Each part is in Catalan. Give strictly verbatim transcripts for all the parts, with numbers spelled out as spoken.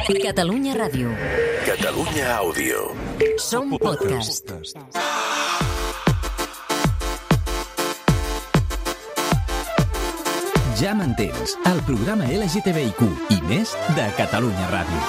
Catalunya Ràdio. Catalunya Àudio. Som podcast. Ja m'entens, el programa L G T B I Q i més de Catalunya Ràdio.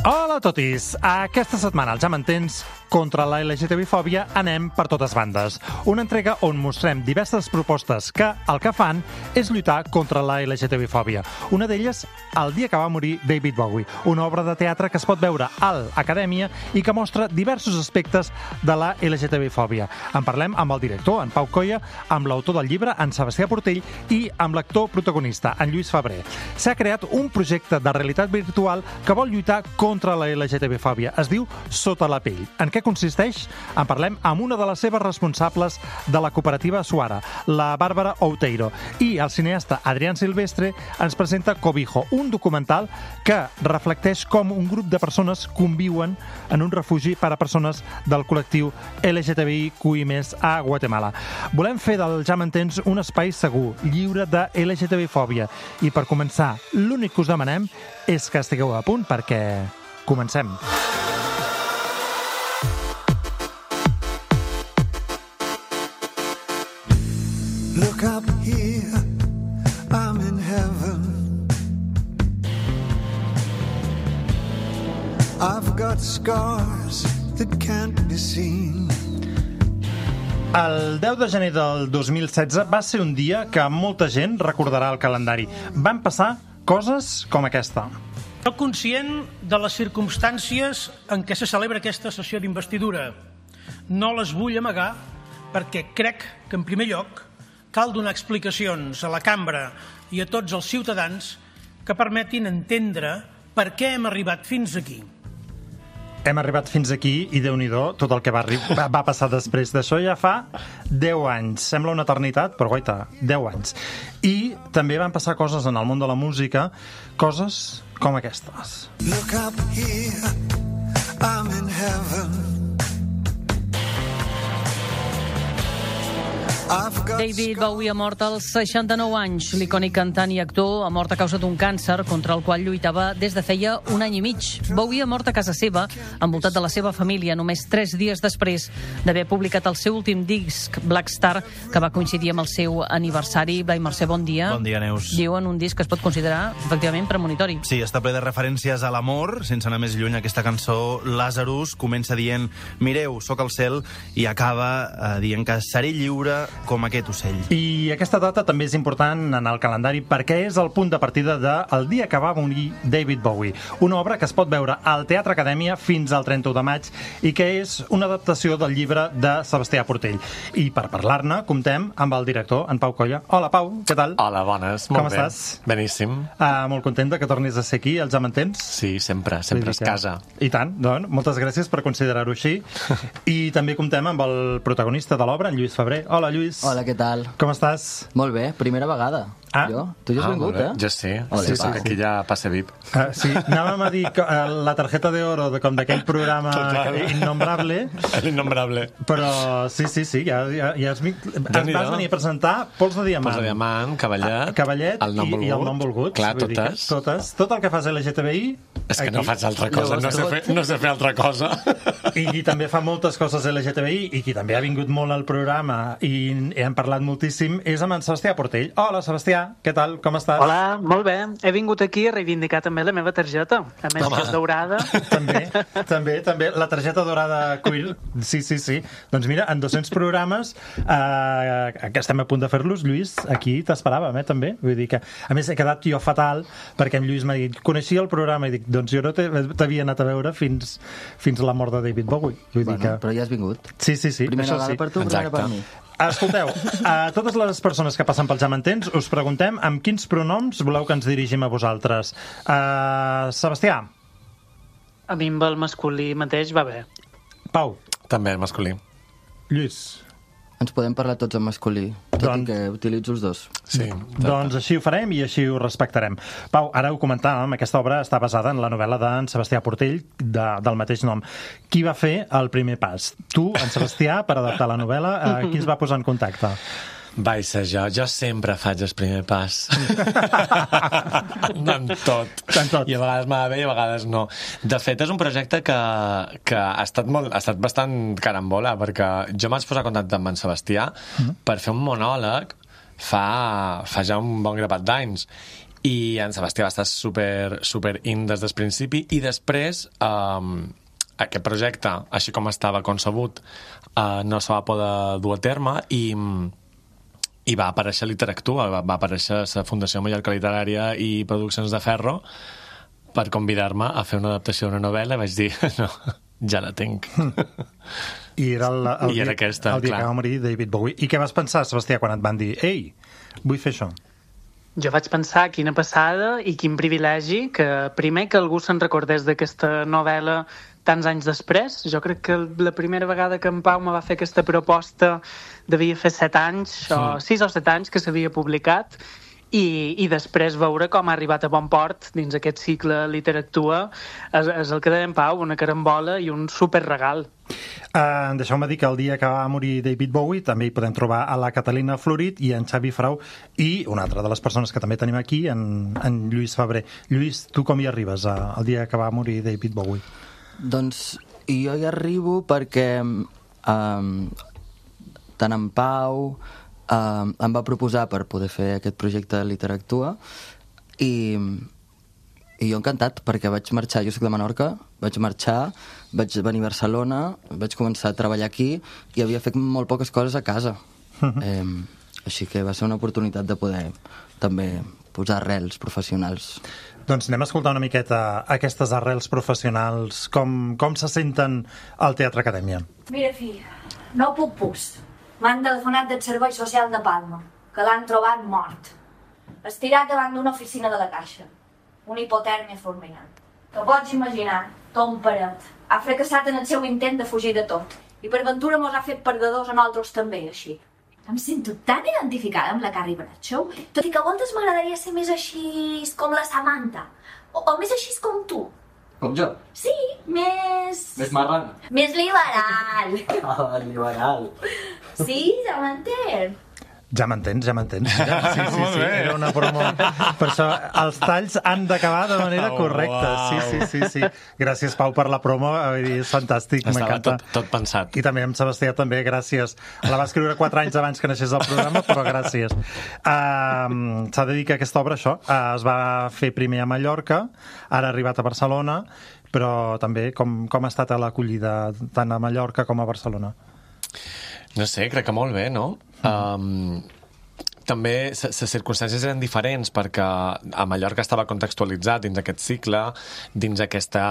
Hola a totis! Aquesta setmana, al Ja m'entens, contra la L G T B I-fòbia anem per totes bandes. Una entrega on mostrem diverses propostes que el que fan és lluitar contra la L G T B I-fòbia. Una d'elles, El dia que va morir David Bowie, una obra de teatre que es pot veure a l'Acadèmia i que mostra diversos aspectes de la L G T B I-fòbia. En parlem amb el director, en Pau Colla, amb l'autor del llibre, en Sebastià Portell, i amb l'actor protagonista, en Lluís Febrer. S'ha creat un projecte de realitat virtual que vol lluitar contra la L G T B I-fòbia. Es diu Sota la pell. En què consisteix? En parlem amb una de les seves responsables de la cooperativa Suara, la Bàrbara Outeiro. I el cineasta Adrián Silvestre ens presenta Cobijo, un documental que reflecteix com un grup de persones conviuen en un refugi per a persones del col·lectiu L G T B I Q i més a Guatemala. Volem fer del Ja m'entens un espai segur, lliure de L G T B I-fòbia. I per començar, l'únic que us demanem és que estigueu a punt perquè comencem. Look up here, I'm in heaven. I've got scars that can't be seen. El deu de gener del dos mil setze va ser un dia que molta gent recordarà al calendari. Van passar coses com aquesta. Soc conscient de les circumstàncies en què se celebra aquesta sessió d'investidura. No les vull amagar perquè crec que, en primer lloc, cal donar explicacions a la cambra i a tots els ciutadans que permetin entendre per què hem arribat fins aquí. Hem arribat fins aquí i, Déu-n'hi-do, tot el que va, va, va passar després d'això ja fa deu anys. Sembla una eternitat, però guaita, deu anys. I també van passar coses en el món de la música, coses com aquestes. Look up here, I'm in heaven. David Bowie ha mort als seixanta-nou anys. L'icònic cantant i actor ha mort a causa d'un càncer contra el qual lluitava des de feia un any i mig. Bowie ha mort a casa seva, envoltat de la seva família, només tres dies després d'haver publicat el seu últim disc, Black Star, que va coincidir amb el seu aniversari. Blai Mercè, bon dia. Bon dia, Neus. Diuen un disc que es pot considerar, efectivament, premonitori. Sí, està ple de referències a l'amor. Sense anar més lluny, aquesta cançó, Lazarus, comença dient «Mireu, sóc al cel», i acaba eh, dient que seré lliure com aquest ocell. I aquesta data també és important en el calendari perquè és el punt de partida del dia que va morir David Bowie, una obra que es pot veure al Teatre Acadèmia fins al trenta-u de maig i que és una adaptació del llibre de Sebastià Portell. I per parlar-ne, comptem amb el director, en Pau Colla. Hola, Pau, què tal? Hola, bones, Com molt bé. estàs? Beníssim. Uh, molt content de que tornis a ser aquí, els Ja m'entens? Sí, sempre, sempre es casa. I tant, doncs, moltes gràcies per considerar-ho així. I també comptem amb el protagonista de l'obra, en Lluís Febrer. Hola, Lluís. Hola, què tal? Com estàs? Molt bé, primera vegada. Ah. Jo? Tu ja has Ah, vingut, molt bé. eh? Jo sí, Ole, sí, sí, va. aquí ja passe V I P. Uh, sí, anàvem a dir que, uh, la tarjeta d'oro de, com d'aquell programa Total. innombrable, L'innombrable. però sí, sí, sí, ja, ja, ja has, has, Déu-n'hi-do. vas venir a presentar Pols de Diamant. Pols de Diamant, Cavallet, Ah, Cavallet el nom i, volgut. i el nom volgut. Clar, Vull dir que totes. totes. Tot el que fas L G T B I... És que aquí. no faig altra cosa, no sé, fer, no sé fer altra cosa. I qui també fa moltes coses L G T B I i qui també ha vingut molt al programa i hem parlat moltíssim és amb en Sebastià Portell. Hola, Sebastià, què tal? Com estàs? Hola, molt bé. He vingut aquí a reivindicar també la meva targeta. A més, Home. que és daurada. També, també, també. La targeta dorada queer. Sí, sí, sí. Doncs mira, en dos-cents programes eh, que estem a punt de fer-los, Lluís, aquí t'esperàvem, eh, també. Vull dir que, a més, he quedat jo fatal perquè en Lluís m'ha dit, coneixia el programa i dic, doncs jo no t'he- t'havia anat a veure fins, fins la mort de David Bowie. Vull dir Bueno, que... però ja has vingut. Sí, sí, sí. Primera això vegada sí. per tu, primera Exacte. per mi. Escolteu, a totes les persones que passen pel Ja m'entens us preguntem amb quins pronoms voleu que ens dirigim a vosaltres. Uh, Sebastià. A mi amb el masculí mateix va bé. Pau. També, masculí. Lluís. Ens podem parlar tots en masculí, tot Doncs- i que utilitzo els dos. Sí. Doncs així ho farem i així ho respectarem. Pau, ara ho comentàvem, aquesta obra està basada en la novel·la d'en Sebastià Portell, de, del mateix nom. Qui va fer el primer pas? Tu, en Sebastià, per adaptar la novel·la, eh, qui es va posar en contacte? Vaig ser jo. Jo sempre faig el primer pas. en tot. En tot. I a vegades m'ha bé i a vegades no. De fet, és un projecte que, que ha, estat molt, ha estat bastant carambola, perquè jo m'haig posat en contacte amb en Sebastià mm. per fer un monòleg fa, fa ja un bon grapat d'anys. I en Sebastià va estar super, super in des del principi i després um, aquest projecte, així com estava concebut, uh, no se va poder dur a terme i, i va aparèixer Literactua, va, va aparèixer la Fundació Mallorca Literària i Produccions de Ferro per convidar-me a fer una adaptació d'una novel·la i vaig dir, no, ja la tinc. I era, el, el, I era dia, aquesta, el dia clar. que va morir David Bowie. I què vas pensar, Sebastià, quan et van dir ei, vull fer això? Jo vaig pensar quina passada i quin privilegi que primer que algú se'n recordés d'aquesta novel·la tants anys després. Jo crec que la primera vegada que en Pau me va fer aquesta proposta devia fer set anys, sí. o sis o set anys que s'havia publicat, i, i després veure com ha arribat a bon port dins aquest cicle Literactua és, és el que deia en Pau, una carambola i un superregal. Uh, Deixeu-me dir que el dia que va morir David Bowie també hi podem trobar a la Catalina Florit i en Xavi Frau i una altra de les persones que també tenim aquí, en, en Lluís Febrer. Lluís, tu com hi arribes uh, el dia que va morir David Bowie? Doncs jo hi arribo perquè um, tant en Pau um, em va proposar per poder fer aquest projecte de Literactua i, i jo encantat perquè vaig marxar, jo soc de Menorca, vaig marxar, vaig venir a Barcelona, vaig començar a treballar aquí i havia fet molt poques coses a casa. Uh-huh. eh, així que va ser una oportunitat de poder també posar arrels professionals. Doncs anem a escoltar una miqueta aquestes arrels professionals, com, com se senten al Teatre Acadèmia. Mira, fill, no puc pus. M'han telefonat del Servei Social de Palma, que l'han trobat mort. Estirat davant d'una oficina de la Caixa. Una hipotèrmia fulminant. Te pots imaginar, Tom Paret, ha fracassat en el seu intent de fugir de tot. I per ventura mos ha fet perdedors a nosaltres també, així. Em sento tan identificada amb la Carrie Bradshaw, tot i que a voltes m'agradaria ser més així com la Samantha, o, o més així com tu. Com jo? Sí, més... Més marrana. Més liberal. Ah, liberal. Sí, ja m'entén. Ja m'entens, ja m'entens. Ja, sí, sí, sí, era una promo. Per això els talls han d'acabar de manera oh, correcta. wow. Sí, sí, sí, sí. Gràcies, Pau, per la promo. És fantàstic, m'encanta. Tot, tot pensat. I també amb Sebastià, també, gràcies. La va escriure quatre anys abans que naixés el programa, però gràcies. Uh, S'ha de dir que aquesta obra, això, uh, es va fer primer a Mallorca, ara ha arribat a Barcelona, però també com, com ha estat l'acollida tant a Mallorca com a Barcelona? No sé, crec que molt bé, no? Um, també les circumstàncies eren diferents perquè a Mallorca estava contextualitzat dins aquest cicle, dins aquesta,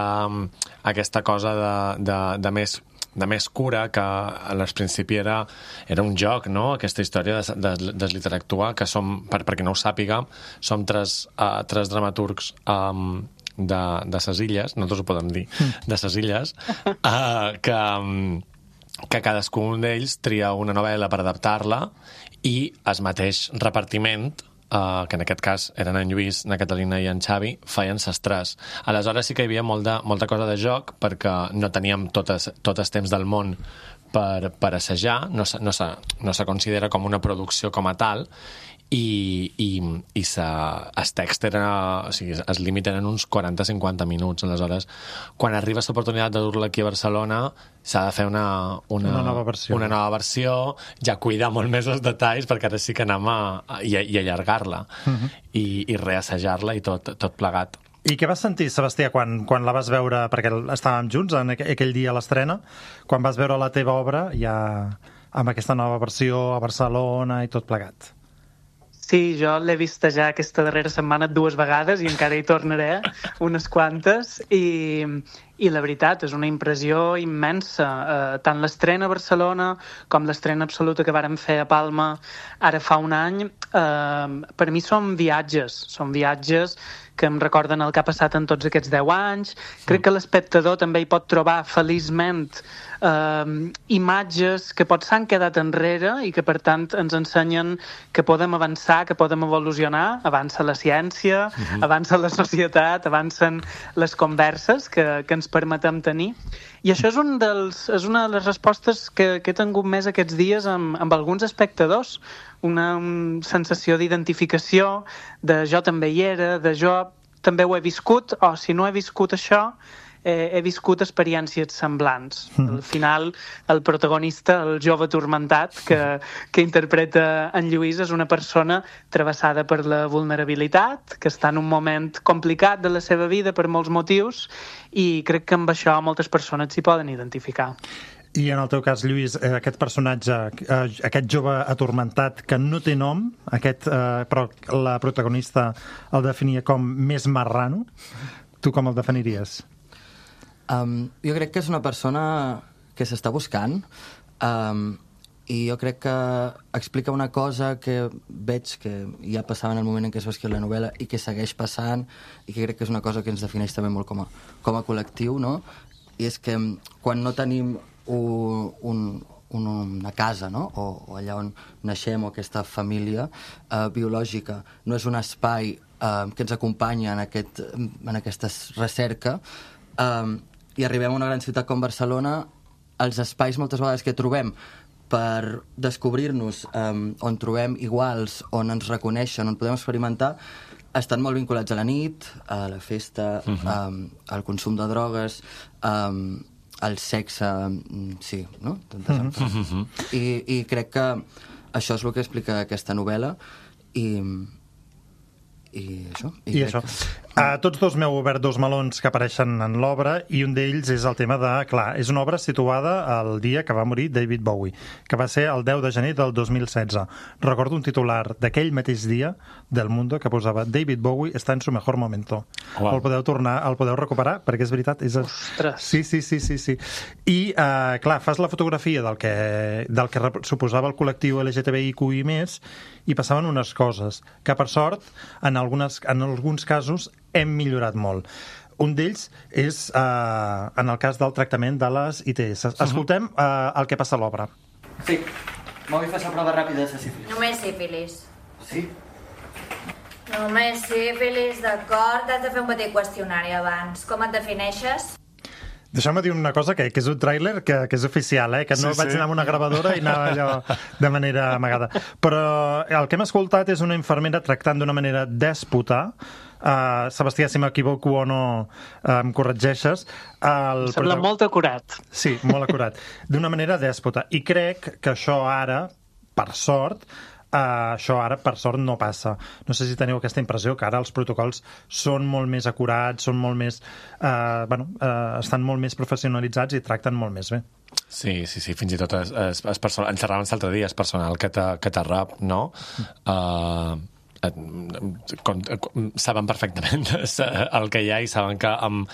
aquesta cosa de, de, de més de més cura, que al principi era, era un joc, no? Aquesta història de, de, de Literactua, que som, per, per qui no ho sàpiga, som tres, uh, tres dramaturgs um, de, de ses illes, nosaltres ho podem dir, de ses illes, uh, que... Um, que cadascun d'ells tria una novel·la per adaptar-la i el mateix repartiment, eh, que en aquest cas eren en Lluís, na Catalina i en Xavi, feien ses tres. Aleshores sí que hi havia molta, molta cosa de joc perquè no teníem tot el, tot el temps del món per, per assajar, no, no, se, no se considera com una producció com a tal, i, i, i sa, el text era, o sigui, el límit eren uns quaranta a cinquanta minuts. Aleshores, quan arriba l'oportunitat de dur-la aquí a Barcelona, s'ha de fer una, una, una, nova versió. una nova versió, ja cuidar molt més els detalls, perquè ara sí que anem a, a, i, i allargar-la, uh-huh. i, i reassajar-la i tot, tot plegat. I què vas sentir, Sebastià, quan, quan la vas veure, perquè estàvem junts en aquell dia a l'estrena, quan vas veure la teva obra ja amb aquesta nova versió a Barcelona i tot plegat? Sí, jo l'he vista ja aquesta darrera setmana dues vegades i encara hi tornaré unes quantes i, i la veritat és una impressió immensa. Eh, tant l'estrena a Barcelona com l'estrena absoluta que vàrem fer a Palma ara fa un any, eh, per mi són viatges, són viatges que em recorden el que ha passat en tots aquests deu anys. Crec que l'espectador també hi pot trobar feliçment eh, imatges que potser s'han quedat enrere i que per tant ens ensenyen que podem avançar, que podem evolucionar, avança la ciència, uh-huh. avança la societat, avancen les converses que, que ens permetem tenir. I això és, un dels, és una de les respostes que, que he tingut més aquests dies amb, amb alguns espectadors. Una, una sensació d'identificació, de jo també hi era, de jo també ho he viscut, o si no he viscut això, eh, he viscut experiències semblants. Mm. Al final, el protagonista, el jove turmentat que, que interpreta en Lluís, és una persona travessada per la vulnerabilitat, que està en un moment complicat de la seva vida per molts motius, i crec que amb això moltes persones s'hi poden identificar. I en el teu cas, Lluís, aquest personatge, aquest jove atormentat que no té nom, aquest, eh, però la protagonista el definia com més marrano, tu com el definiries? Um, jo crec que és una persona que s'està buscant, um, i jo crec que explica una cosa que veig que ja passava en el moment en què es va escriure la novel·la i que segueix passant, i que crec que és una cosa que ens defineix també molt com a, com a col·lectiu, no? I és que quan no tenim un, un, una casa, no? o, o allà on naixem, o aquesta família eh, biològica, no és un espai eh, que ens acompanya en, aquest, en aquesta recerca, eh, i arribem a una gran ciutat com Barcelona, els espais moltes vegades que trobem per descobrir-nos, eh, on trobem iguals, on ens reconeixen, on podem experimentar, estan molt vinculats a la nit, a la festa, uh-huh. eh, al consum de drogues, eh, el sexe, sí, no? Mm-hmm. I, I crec que això és el que explica aquesta novel·la, i, i això. I, I això. Que... Uh, tots dos m'heu obert dos melons que apareixen en l'obra, i un d'ells és el tema de... Clar, és una obra situada al dia que va morir David Bowie, que va ser el deu de gener del dos mil setze. Recordo un titular d'aquell mateix dia del Mundo que posava David Bowie està en su mejor momento. Wow. El podeu tornar, el podeu recuperar, perquè és veritat. És... Ostres! Sí, sí, sí, sí, sí. I, uh, clar, fas la fotografia del que, del que suposava el col·lectiu L G T B I Q i més, i passaven unes coses que, per sort, en, algunes, en alguns casos hem millorat molt. Un d'ells és eh, en el cas del tractament de les I T S. Escoltem eh, el que passa a l'obra. Sí, m'ho vull fer la prova ràpida de sífilis. Només sífilis. Sí? Només sífilis, d'acord. Has de fer un petit qüestionari abans. Com et defineixes? Deixeu-me dir una cosa, que, que és un tràiler que, que és oficial, eh? Que no sí, vaig sí. anar amb una gravadora i anava allò de manera amagada. Però el que hem escoltat és una infermera tractant d'una manera dèspota. Uh, Sebastià, si m'equivoco o no, uh, em corregeixes. El em sembla prota... molt acurat. Sí, molt acurat. D'una manera dèspota. I crec que això ara, per sort, Uh, això ara, per sort, no passa. No sé si teniu aquesta impressió, que ara els protocols són molt més acurats, són molt més... Uh, bueno, uh, estan molt més professionalitzats i tracten molt més bé. Sí, sí, sí, fins i tot és, és, és personal, en xerràvem l'altre dia, és personal que te, que te rap, no? Uh, com, com, saben perfectament el que hi ha i saben que amb...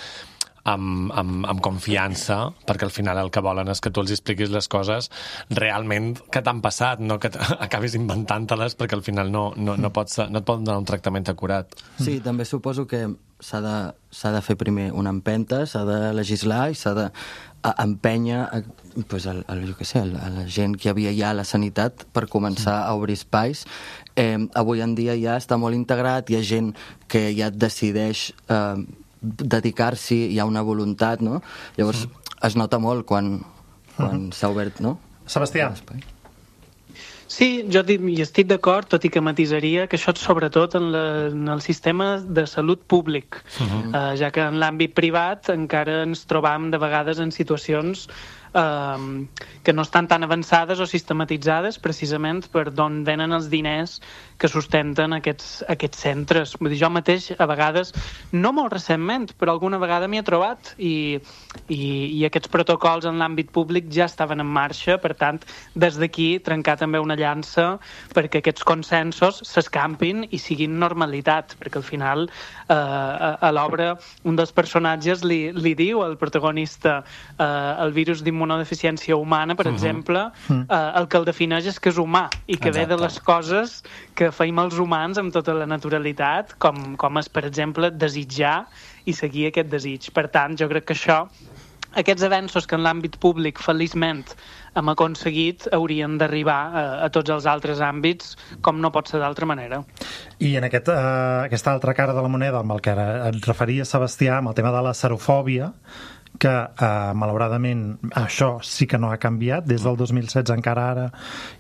Amb, amb, amb confiança, perquè al final el que volen és que tu els expliquis les coses realment que t'han passat, no que acabis inventant-te-les, perquè al final no, no, no, pots, no et poden donar un tractament acurat. Sí, també suposo que s'ha de, s'ha de fer primer una empenta, s'ha de legislar i s'ha d'empènyer a, pues, a, a, jo què sé, a la gent que hi havia ja a la sanitat per començar a obrir espais. Eh, avui en dia ja està molt integrat, hi ha gent que ja decideix... Eh, dedicar-s'hi, hi ha una voluntat, no? Llavors sí. es nota molt quan, quan uh-huh. s'ha obert, no? Sebastià. Sí, jo hi estic d'acord, tot i que matisaria que això és sobretot en, la, en el sistema de salut públic, uh-huh. uh, ja que en l'àmbit privat encara ens trobam de vegades en situacions uh, que no estan tan avançades o sistematitzades precisament per d'on venen els diners que sustenten aquests, aquests centres. Vull dir, jo mateix, a vegades, no molt recentment, però alguna vegada m'hi he trobat i, i, i aquests protocols en l'àmbit públic ja estaven en marxa, per tant, des d'aquí trencar també una llança perquè aquests consensos s'escampin i siguin normalitat, perquè al final eh, a, a l'obra un dels personatges li, li diu al protagonista eh, el virus d'immunodeficiència humana, per uh-huh. exemple, eh, el que el defineix és que és humà i que Exacte. Ve de les coses que feim els humans amb tota la naturalitat, com, com és, per exemple, desitjar i seguir aquest desig. Per tant, jo crec que això, aquests avenços que en l'àmbit públic, feliçment, hem aconseguit, haurien d'arribar a, a tots els altres àmbits, com no pot ser d'altra manera. I en aquest, uh, aquesta altra cara de la moneda, amb el que et referia Sebastià, amb el tema de la serofòbia, que eh, malauradament això sí que no ha canviat. Des del dos mil setze encara ara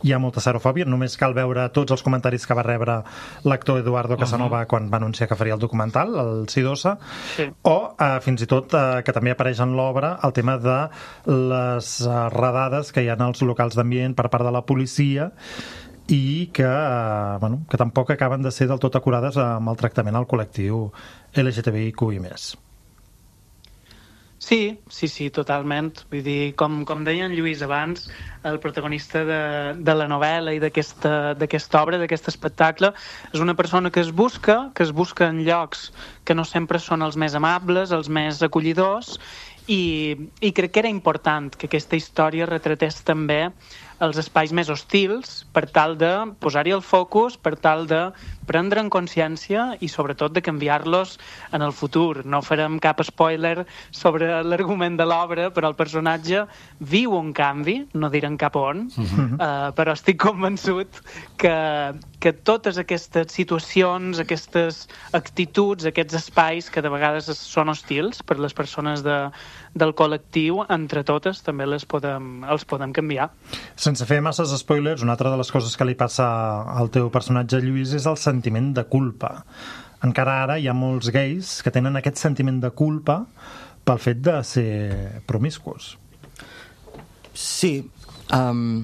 hi ha molta serofòbia. Només cal veure tots els comentaris que va rebre l'actor Eduardo Casanova uh-huh. quan va anunciar que faria el documental, el Sidosa, sí. o eh, fins i tot eh, que també apareix en l'obra el tema de les eh, redades que hi ha als locals d'ambient per part de la policia i que, eh, bueno, que tampoc acaben de ser del tot acurades amb el tractament al col·lectiu L G T B I Q i més. Sí, sí, sí, totalment. Vull dir, com, com deia en Lluís abans, el protagonista de, de la novel·la i d'aquesta d'aquesta obra, d'aquest espectacle, és una persona que es busca, que es busca en llocs que no sempre són els més amables, els més acollidors, i, i crec que era important que aquesta història retratés també els espais més hostils per tal de posar-hi el focus, per tal de prendre en consciència i sobretot de canviar-los en el futur. No farem cap spoiler sobre l'argument de l'obra, però el personatge viu un canvi, no direm cap on, uh-huh. uh, però estic convençut que, que totes aquestes situacions, aquestes actituds, aquests espais que de vegades són hostils per les persones de, del col·lectiu, entre totes també les podem, els podem canviar. Sense fer masses spoilers, una altra de les coses que li passa al teu personatge, Lluís, és el sentiment de culpa. Encara ara hi ha molts gais que tenen aquest sentiment de culpa pel fet de ser promiscus. Sí, um,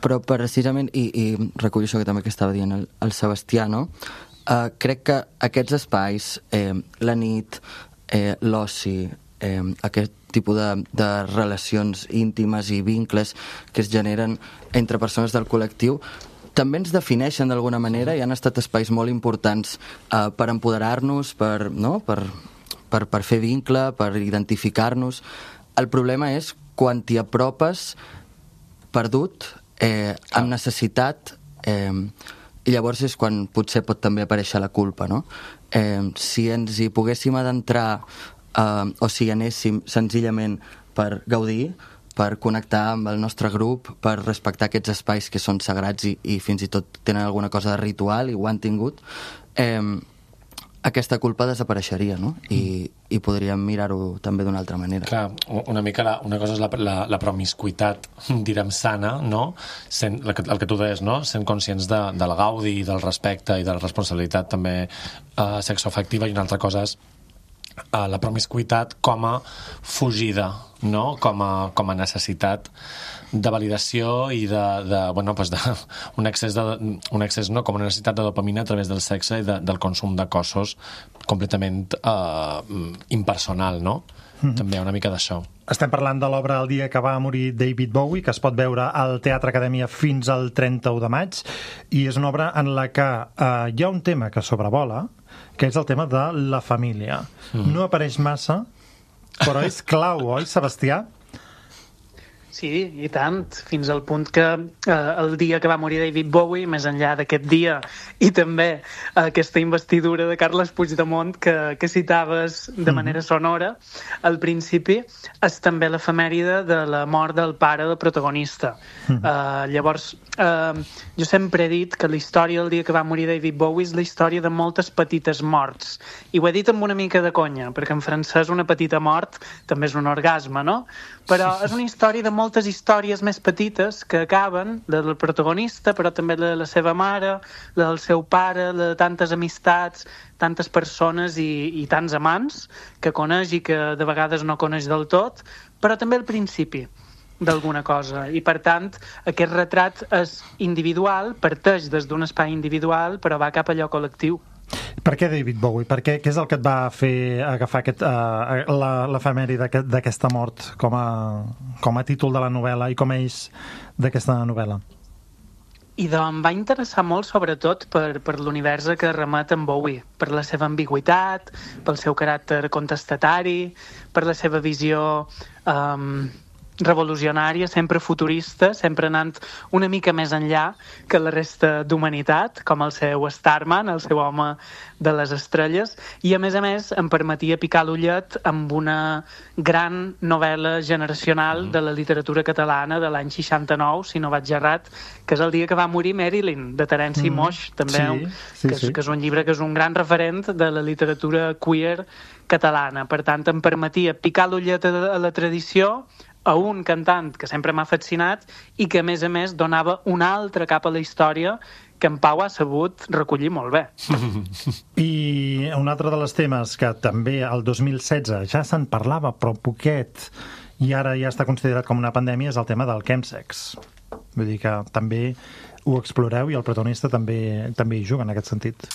però precisament, i, i recullo això que també que estava dient el, el Sebastià, no? Uh, crec que aquests espais, eh, la nit, eh, l'oci, eh, aquest tipus de, de relacions íntimes i vincles que es generen entre persones del col·lectiu també ens defineixen d'alguna manera i han estat espais molt importants eh, per empoderar-nos, per, no? per, per, per fer vincle, per identificar-nos. El problema és quan t'hi apropes perdut, eh, amb necessitat, eh, i llavors és quan potser pot també aparèixer la culpa, no? Eh, si ens hi poguéssim adentrar Uh, o si anéssim senzillament per gaudir, per connectar amb el nostre grup, per respectar aquests espais que són sagrats i, i fins i tot tenen alguna cosa de ritual i ho han tingut, eh, aquesta culpa desapareixeria, no? I, i podríem mirar-ho també d'una altra manera. Clar, una mica la, una cosa és la, la, la promiscuitat, direm, sana, no? Sent, el, que, el que tu deies, no? Sent conscients de, del gaudi, del respecte i de la responsabilitat també eh, sexoafectiva, i una altra cosa és Uh, la promiscuitat com a fugida, no? com, a, com a necessitat de validació i de, de, bueno, pues de, un excés, de, un excés no? com una necessitat de dopamina a través del sexe i de, del consum de cossos completament uh, impersonal, no? Mm-hmm. També una mica d'això. Estem parlant de l'obra El dia que va morir David Bowie, que es pot veure al Teatre Acadèmia fins al trenta-u de maig, i és una obra en la que uh, hi ha un tema que sobrevola, que és el tema de la família. Mm. No apareix massa, però és clau, oi, Sebastià? Sí, i tant, fins al punt que eh, el dia que va morir David Bowie, més enllà d'aquest dia, i també eh, aquesta investidura de Carles Puigdemont que, que citaves de manera sonora, al principi és també l'efemèride de la mort del pare del protagonista. Mm. Eh, llavors, eh, jo sempre he dit que la història del dia que va morir David Bowie és la història de moltes petites morts. I ho he dit amb una mica de conya, perquè en francès una petita mort també és un orgasme, no? Però és una història de moltes històries més petites que acaben, la del protagonista, però també la de la seva mare, la del seu pare, la de tantes amistats, tantes persones i, i tants amants que coneix i que de vegades no coneix del tot, però també al principi d'alguna cosa. I, per tant, aquest retrat és individual, parteix des d'un espai individual, però va cap a allò col·lectiu. Per què David Bowie? Per què, què és el que et va fer agafar aquest, uh, l'efemèride d'aquesta mort com a, com a títol de la novel·la i com a eix d'aquesta novel·la? I doncs em va interessar molt, sobretot, per, per l'univers que remet en Bowie, per la seva ambigüitat, pel seu caràcter contestatari, per la seva visió um, revolucionària, sempre futurista, sempre anant una mica més enllà que la resta d'humanitat, com el seu Starman, el seu home de les estrelles, i a més a més em permetia picar l'ullet amb una gran novel·la generacional de la literatura catalana de l'any seixanta-nou, si no vaig errat, que és el dia que va morir Marilyn, de Terenci mm. Moix, també, sí, sí, que, és, sí. que és un llibre que és un gran referent de la literatura queer catalana. Per tant, em permetia picar l'ullet a, a la tradició, a un cantant que sempre m'ha fascinat i que, a més a més, donava una altra capa a la història que en Pau ha sabut recollir molt bé. I un altre dels temes que també el dos mil setze ja se'n parlava, però poquet, i ara ja està considerat com una pandèmia, és el tema del chemsex. Vull dir que també ho exploreu i el protagonista també, també hi juga en aquest sentit.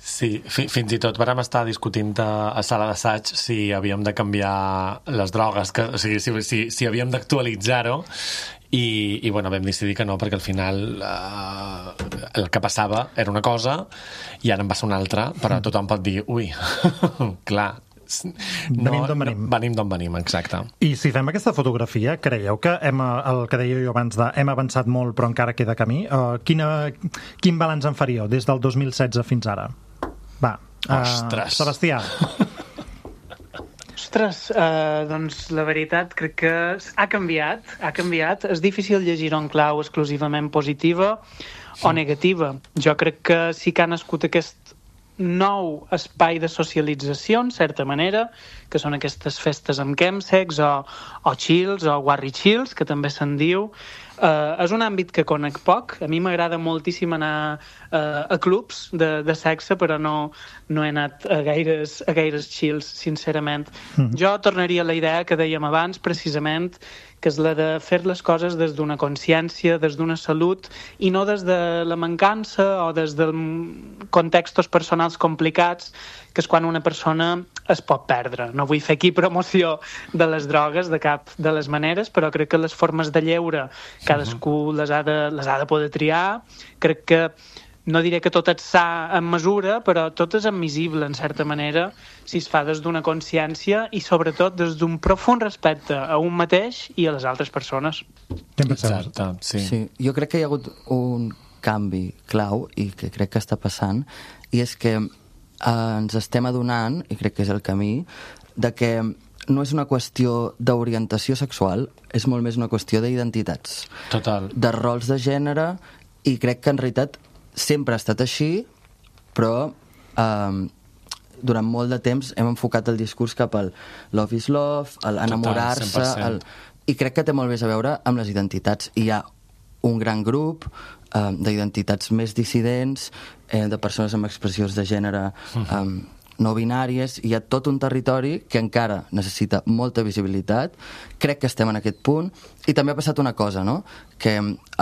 Sí, fi, fins i tot vam estar discutint a, a sala d'assaig si havíem de canviar les drogues, que, o sigui, si, si, si havíem d'actualitzar-ho, i, i bueno, vam decidir que no, perquè al final eh, el que passava era una cosa i ara en va ser una altra, però tothom pot dir, ui, clar, no, venim d'on venim. No, venim d'on venim, exacte. I si fem aquesta fotografia, creieu que hem, el que deia jo abans de hem avançat molt però encara queda camí? Uh, quina, quin balanç en faríeu des del dos mil setze fins ara? Va, uh, Sebastià. Ostres, uh, doncs la veritat crec que ha canviat, ha canviat. És difícil llegir-ho en clau exclusivament positiva o negativa. Jo crec que sí que ha nascut aquest nou espai de socialització, en certa manera, que són aquestes festes amb chemsex o, o chills o warri chills, que també se'n diu. Uh, és un àmbit que conec poc. A mi m'agrada moltíssim anar uh, a clubs de, de sexe, però no, no he anat a gaires, a gaires chills, sincerament. Mm. Jo tornaria a la idea que dèiem abans, precisament, que és la de fer les coses des d'una consciència, des d'una salut, i no des de la mancança o des de contextos personals complicats, que és quan una persona es pot perdre. No vull fer aquí promoció de les drogues de cap de les maneres, però crec que les formes de lleure cadascú les ha de, les ha de poder triar. Crec que no diré que tot és sa en mesura, però tot és admissible, en certa manera, si es fa des d'una consciència i, sobretot, des d'un profund respecte a un mateix i a les altres persones. Exacte, sí. Sí. Jo crec que hi ha hagut un canvi clau i que crec que està passant, i és que eh, ens estem adonant, i crec que és el camí, de que no és una qüestió d'orientació sexual, és molt més una qüestió d'identitats. Total. De rols de gènere, i crec que en realitat sempre ha estat així, però eh, durant molt de temps hem enfocat el discurs cap al love is love, a enamorar-se, el... i crec que té molt més a veure amb les identitats. Hi ha un gran grup eh, d'identitats més dissidents, eh, de persones amb expressions de gènere eh, no binàries, hi ha tot un territori que encara necessita molta visibilitat. Crec que estem en aquest punt, i també ha passat una cosa, no? Que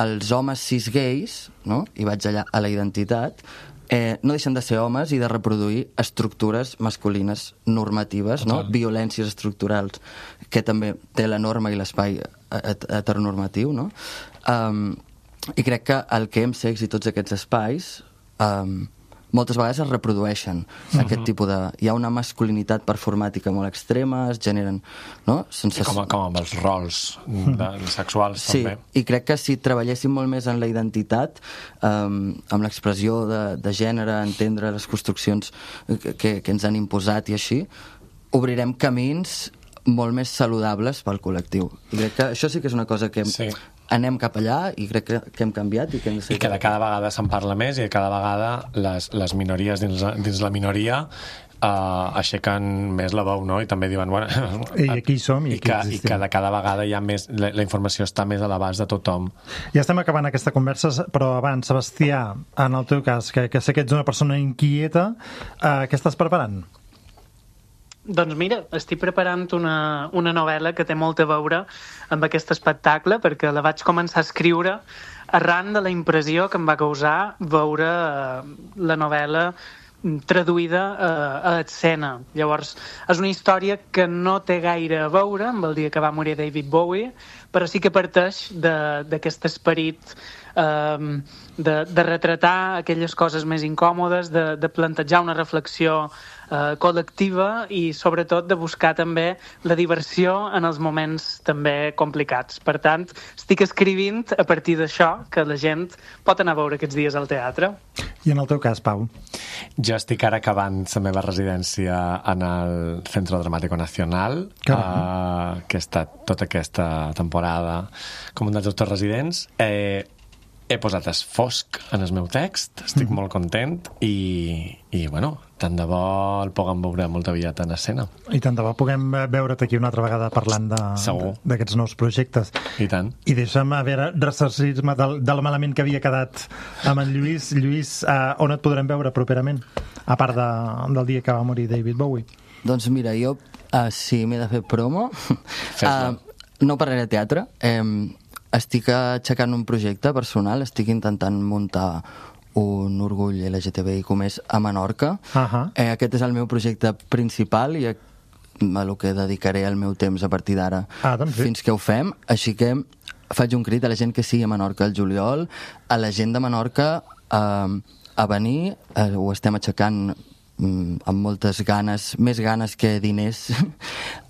els homes cis gais, no? I vaig allà a la identitat, eh, no deixen de ser homes i de reproduir estructures masculines normatives, no? Violències estructurals, que també té la norma i l'espai heteronormatiu, no? Um, I crec que el chemsex i tots aquests espais um, moltes vegades es reprodueixen. Uh-huh. Aquest tipus de... Hi ha una masculinitat performàtica molt extrema, es generen... No? Sense... I com, com amb els rols de, sexuals, sí, també. Sí, i crec que si treballéssim molt més en la identitat, um, amb l'expressió de, de gènere, entendre les construccions que, que ens han imposat i així, obrirem camins molt més saludables pel col·lectiu. I crec que això sí que és una cosa que... Sí. Anem cap allà i crec que, que hem canviat i que hem de ser... I que de cada vegada se'n parla més i cada vegada les, les minories dins, dins la minoria uh, aixequen més la veu, no? I també diuen... Bueno, I aquí som i, i, que, i que de cada vegada hi ha més... La, la informació està més a l'abast de tothom. Ja estem acabant aquesta conversa, però abans, Sebastià, en el teu cas, que, que sé que ets una persona inquieta, uh, què estàs preparant? Doncs mira, estic preparant una, una novel·la que té molt a veure amb aquest espectacle, perquè la vaig començar a escriure arran de la impressió que em va causar veure eh, la novel·la traduïda eh, a escena. Llavors, és una història que no té gaire a veure amb el dia que va morir David Bowie, però sí que parteix d'aquest esperit eh, de, de retratar aquelles coses més incòmodes, de, de plantejar una reflexió eh, col·lectiva i sobretot de buscar també la diversió en els moments també complicats. Per tant, estic escrivint a partir d'això que la gent pot anar a veure aquests dies al teatre. I en el teu cas, Pau? Jo estic ara acabant la meva residència en el Centro Dramático Nacional, uh, que he estat tota aquesta temporada com un dels autors residents. Eh, he posat es fosc en el meu text, estic mm. molt content i, i bueno, tant de bo el puguem veure molt aviat en escena. I tant de bo puguem veure't aquí una altra vegada parlant d'aquests nous projectes. I tant. I deixa'm a veure, ressarcir-me del, del malament que havia quedat amb en Lluís. Lluís, uh, on et podrem veure properament? A part de, del dia que va morir David Bowie. Doncs mira, jo, uh, si m'he de fer promo, uh, no parlaré de teatre. Eh, estic aixecant un projecte personal, estic intentant muntar un orgull L G T B I com és a Menorca. Uh-huh. Eh, aquest és el meu projecte principal i a, a lo que dedicaré el meu temps a partir d'ara ah, doncs fins que ho fem. Així que faig un crit a la gent que sigui a Menorca el juliol, a la gent de Menorca eh, a venir, eh, ho estem aixecant mm, amb moltes ganes, més ganes que diners.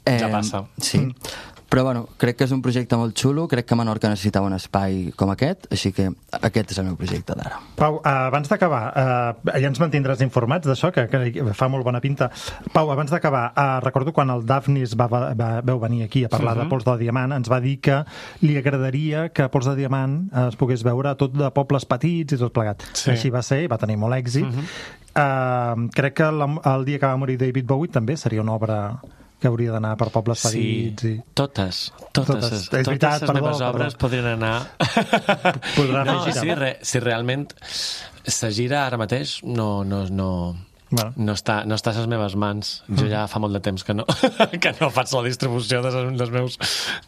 eh, ja passa. Sí. Mm. Però bueno, crec que és un projecte molt xulo, crec que Menorca necessitava un espai com aquest, així que aquest és el meu projecte d'ara. Pau, abans d'acabar, eh, ja ens mantindràs informats d'això, que, que fa molt bona pinta. Pau, abans d'acabar, eh, recordo quan el Daphnis va, va, vau venir aquí a parlar uh-huh. de Pols de Diamant, ens va dir que li agradaria que Pols de Diamant es pogués veure tot de pobles petits i tot plegat. Sí. Així va ser, va tenir molt èxit. Uh-huh. eh, crec que el, el dia que va morir David Bowie també seria una obra que hauria d'anar per pobles petits. Sí, i... totes, totes, totes, és veritat, totes les perdó, meves perdó. obres podrien anar... Podrà no, si, re, si realment la gira ara mateix no, no, no, bueno. no, està, no està a les meves mans. Jo ja fa molt de temps que no, que no faig la distribució dels, dels, meus,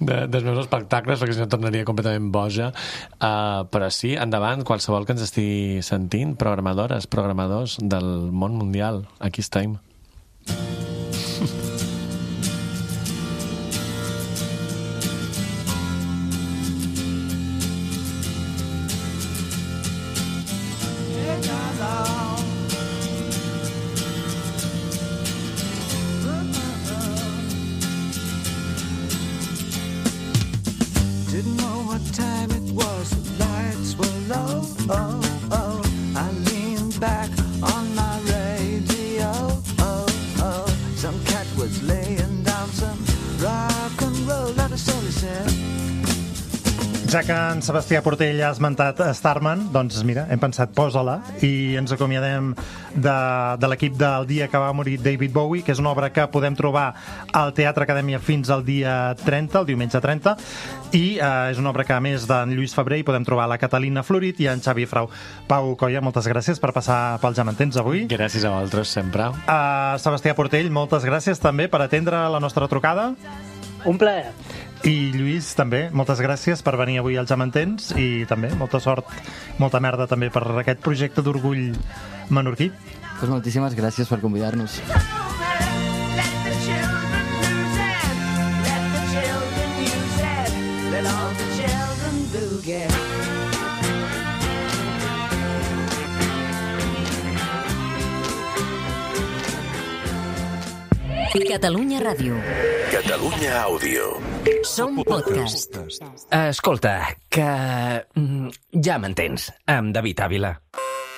de, dels meus espectacles, perquè si no tornaria completament boja. Uh, però sí, endavant, qualsevol que ens estigui sentint, programadores, programadors del món mundial, aquí estem. Didn't know what time it was, the lights were low, oh, oh. I leaned back on my radio, oh, oh. Some cat was laying down some rock and roll, that is all he said. Ja que en Sebastià Portell ha esmentat Starman, doncs mira, hem pensat, posa-la, i ens acomiadem de, de l'equip del dia que va morir David Bowie, que és una obra que podem trobar al Teatre Acadèmia fins al dia trenta, el diumenge trenta, i eh, és una obra que, a més d'en Lluís Febrer, hi podem trobar la Catalina Florit i en Xavi Frau. Pau Colla, moltes gràcies per passar pel Ja m'entens avui. Gràcies a vosaltres, sempre. Uh, Sebastià Portell, moltes gràcies també per atendre la nostra trucada. Un plaer. I Lluís, també, moltes gràcies per venir avui al Ja m'entens i també molta sort, molta merda també per aquest projecte d'orgull menorquí. Pues moltíssimes gràcies per convidar-nos. Catalunya Ràdio. Catalunya Àudio. Som podcast. Escolta, que... mm, Ja m'entens, amb David Ávila.